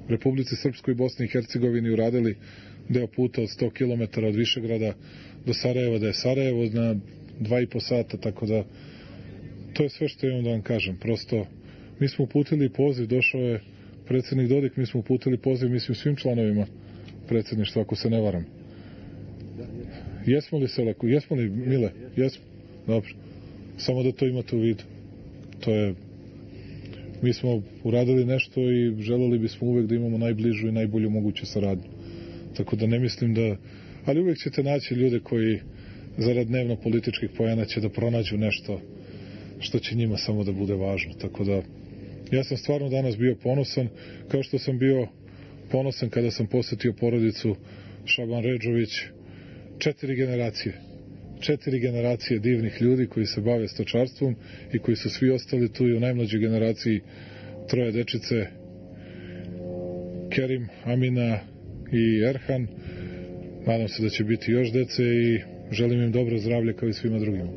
Republici Srpskoj i Bosni i Hercegovini uradili deo puta od sto kilometara od Višegrada do Sarajeva, da je Sarajevo na dva i po sata, tako da to je sve što imam da vam kažem. Prosto, mi smo uputili poziv, došao je predsjednik Dodik, mi smo uputili poziv, mislim, svim članovima predsjedništva, ako se ne varam. Jesmo li se leku? Jesmo li, Mile? Jesmo? Dobro. Samo da to imate u vidu. To je, mi smo uradili nešto i želeli bismo uvek da imamo najbližu i najbolju moguću saradnju. Tako da ne mislim da, ali uvek ćete naći ljude koji zarad dnevno političkih pojena će da pronađu nešto što će njima samo da bude važno. Tako da ja sam stvarno danas bio ponosan, kao što sam bio ponosan kada sam posjetio porodicu Šaban Redžović. Četiri generacije. Četiri generacije divnih ljudi koji se bave stočarstvom i koji su svi ostali tu i u najmlađoj generaciji troje dečice, Kerim, Amina i Erhan. Nadam se da će biti još dece i želim im dobro zdravlje kao i svima drugima.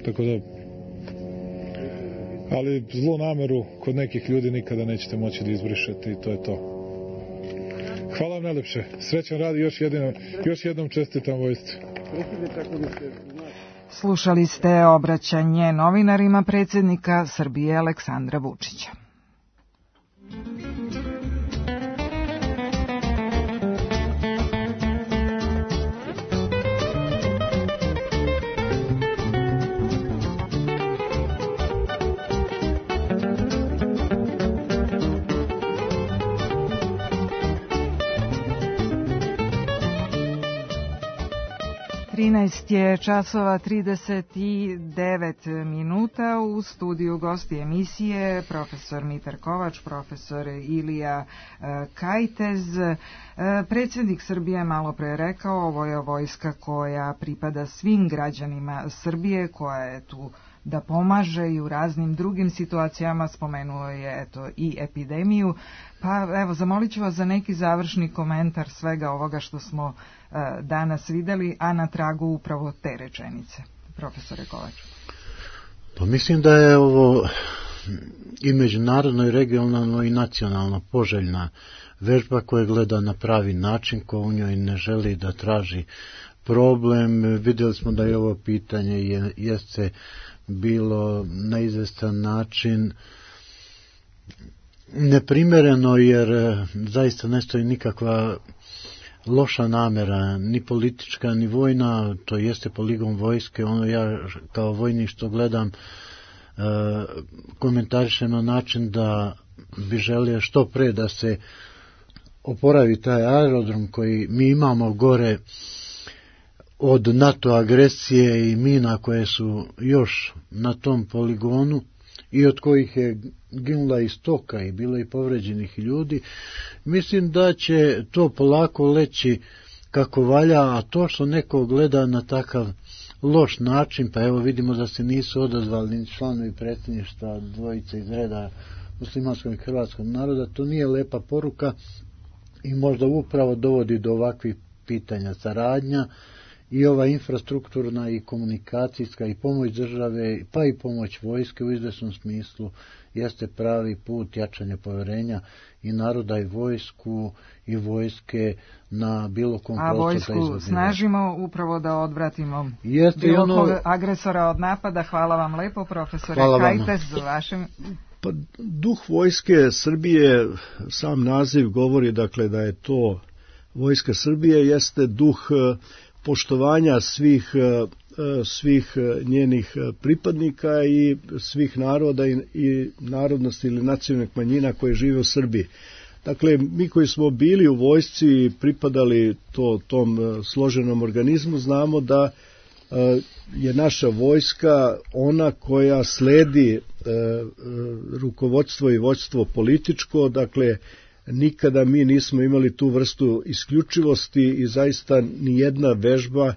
Tako da, ali zlu nameru kod nekih ljudi nikada nećete moći da izbrišete i to je to. Hvala vam najlepše. Srećan rad i još jednom, još jednom čestitam vojsci. Slušali ste obraćanje novinarima predsjednika Srbije Aleksandra Vučića. trinaest je časova trideset devet minuta. U studiju gosti emisije profesor Mitar Kovač, profesor Ilija Kajtez. Predsjednik Srbije malo pre rekao, ovo je vojska koja pripada svim građanima Srbije, koja je tu da pomaže i u raznim drugim situacijama, spomenuo je eto i epidemiju. Pa evo, zamolit ću vas za neki završni komentar svega ovoga što smo uh, danas videli, a na tragu upravo te rečenice. Profesore Kovač. Pa mislim da je ovo i međunarodno, i regionalno, i nacionalno poželjna vežba koja gleda na pravi način, ko u njoj ne želi da traži problem. Vidjeli smo da je ovo pitanje je, jeste bilo na izvestan način neprimereno, jer zaista ne stoji nikakva loša namera, ni politička, ni vojna, to jeste poligon vojske. Ono ja kao vojnik što gledam komentarišem na način da bi želio što pre da se oporavi taj aerodrom koji mi imamo gore od NATO agresije i mina koje su još na tom poligonu i od kojih je ginula i stoka i bilo i povređenih ljudi. Mislim da će to polako leći kako valja, a to što neko gleda na takav loš način, pa evo vidimo da se nisu odazvali ni članovi predsjedništva dvojice iz reda muslimanskog i hrvatskog naroda, to nije lepa poruka i možda upravo dovodi do ovakvih pitanja. Saradnja i ova infrastrukturna i komunikacijska i pomoć države, pa i pomoć vojske u izvesnom smislu jeste pravi put jačanja povjerenja i naroda i vojsku i vojske na bilo kom prostoru. A vojsku snažimo upravo da odvratimo jeste bilo ono... kog agresora od napada. Hvala vam lepo, profesore Kajtez, za vašem... Pa, duh vojske Srbije, sam naziv govori dakle da je to vojska Srbije, jeste duh poštovanja svih, svih njenih pripadnika i svih naroda i, i narodnosti ili nacionalnih manjina koje žive u Srbiji. Dakle, mi koji smo bili u vojsci i pripadali to, tom složenom organizmu, znamo da je naša vojska ona koja sledi rukovodstvo i vođstvo političko, dakle, nikada mi nismo imali tu vrstu isključivosti i zaista nijedna vežba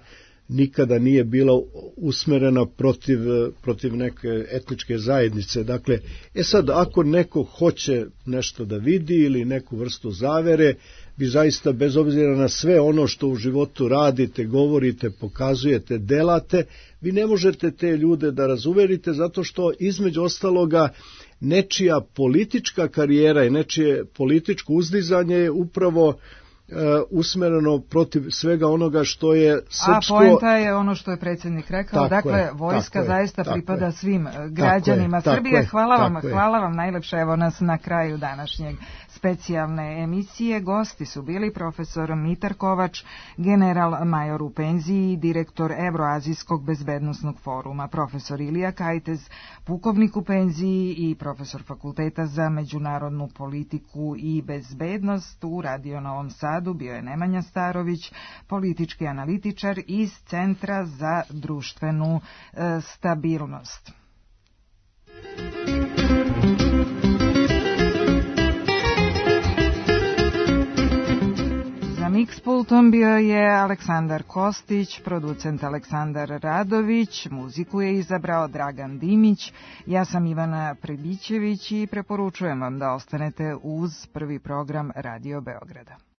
nikada nije bila usmerena protiv, protiv neke etničke zajednice. Dakle, e sad, ako neko hoće nešto da vidi ili neku vrstu zavere, vi zaista bez obzira na sve ono što u životu radite, govorite, pokazujete, delate, vi ne možete te ljude da razuverite zato što između ostaloga nečija politička karijera i nečije političko uzdizanje je upravo uh, usmereno protiv svega onoga što je srpsko... A poenta je ono što je predsjednik rekao, tako dakle, je, vojska je, zaista pripada je, svim građanima je, Srbije. Je, hvala vam, hvala vam najlepše, evo nas na kraju današnjeg specijalne emisije. Gosti su bili profesor Mitar Kovač, general major u penziji, direktor Evroazijskog bezbednosnog foruma, profesor Ilija Kajtez, pukovnik u penziji i profesor Fakulteta za međunarodnu politiku i bezbednost. U Radio Novom Sadu bio je Nemanja Starović, politički analitičar iz Centra za društvenu e, stabilnost. Mixpultom bio je Aleksandar Kostić, producent Aleksandar Radović, muziku je izabrao Dragan Dimić, ja sam Ivana Prebićević i preporučujem vam da ostanete uz prvi program Radio Beograda.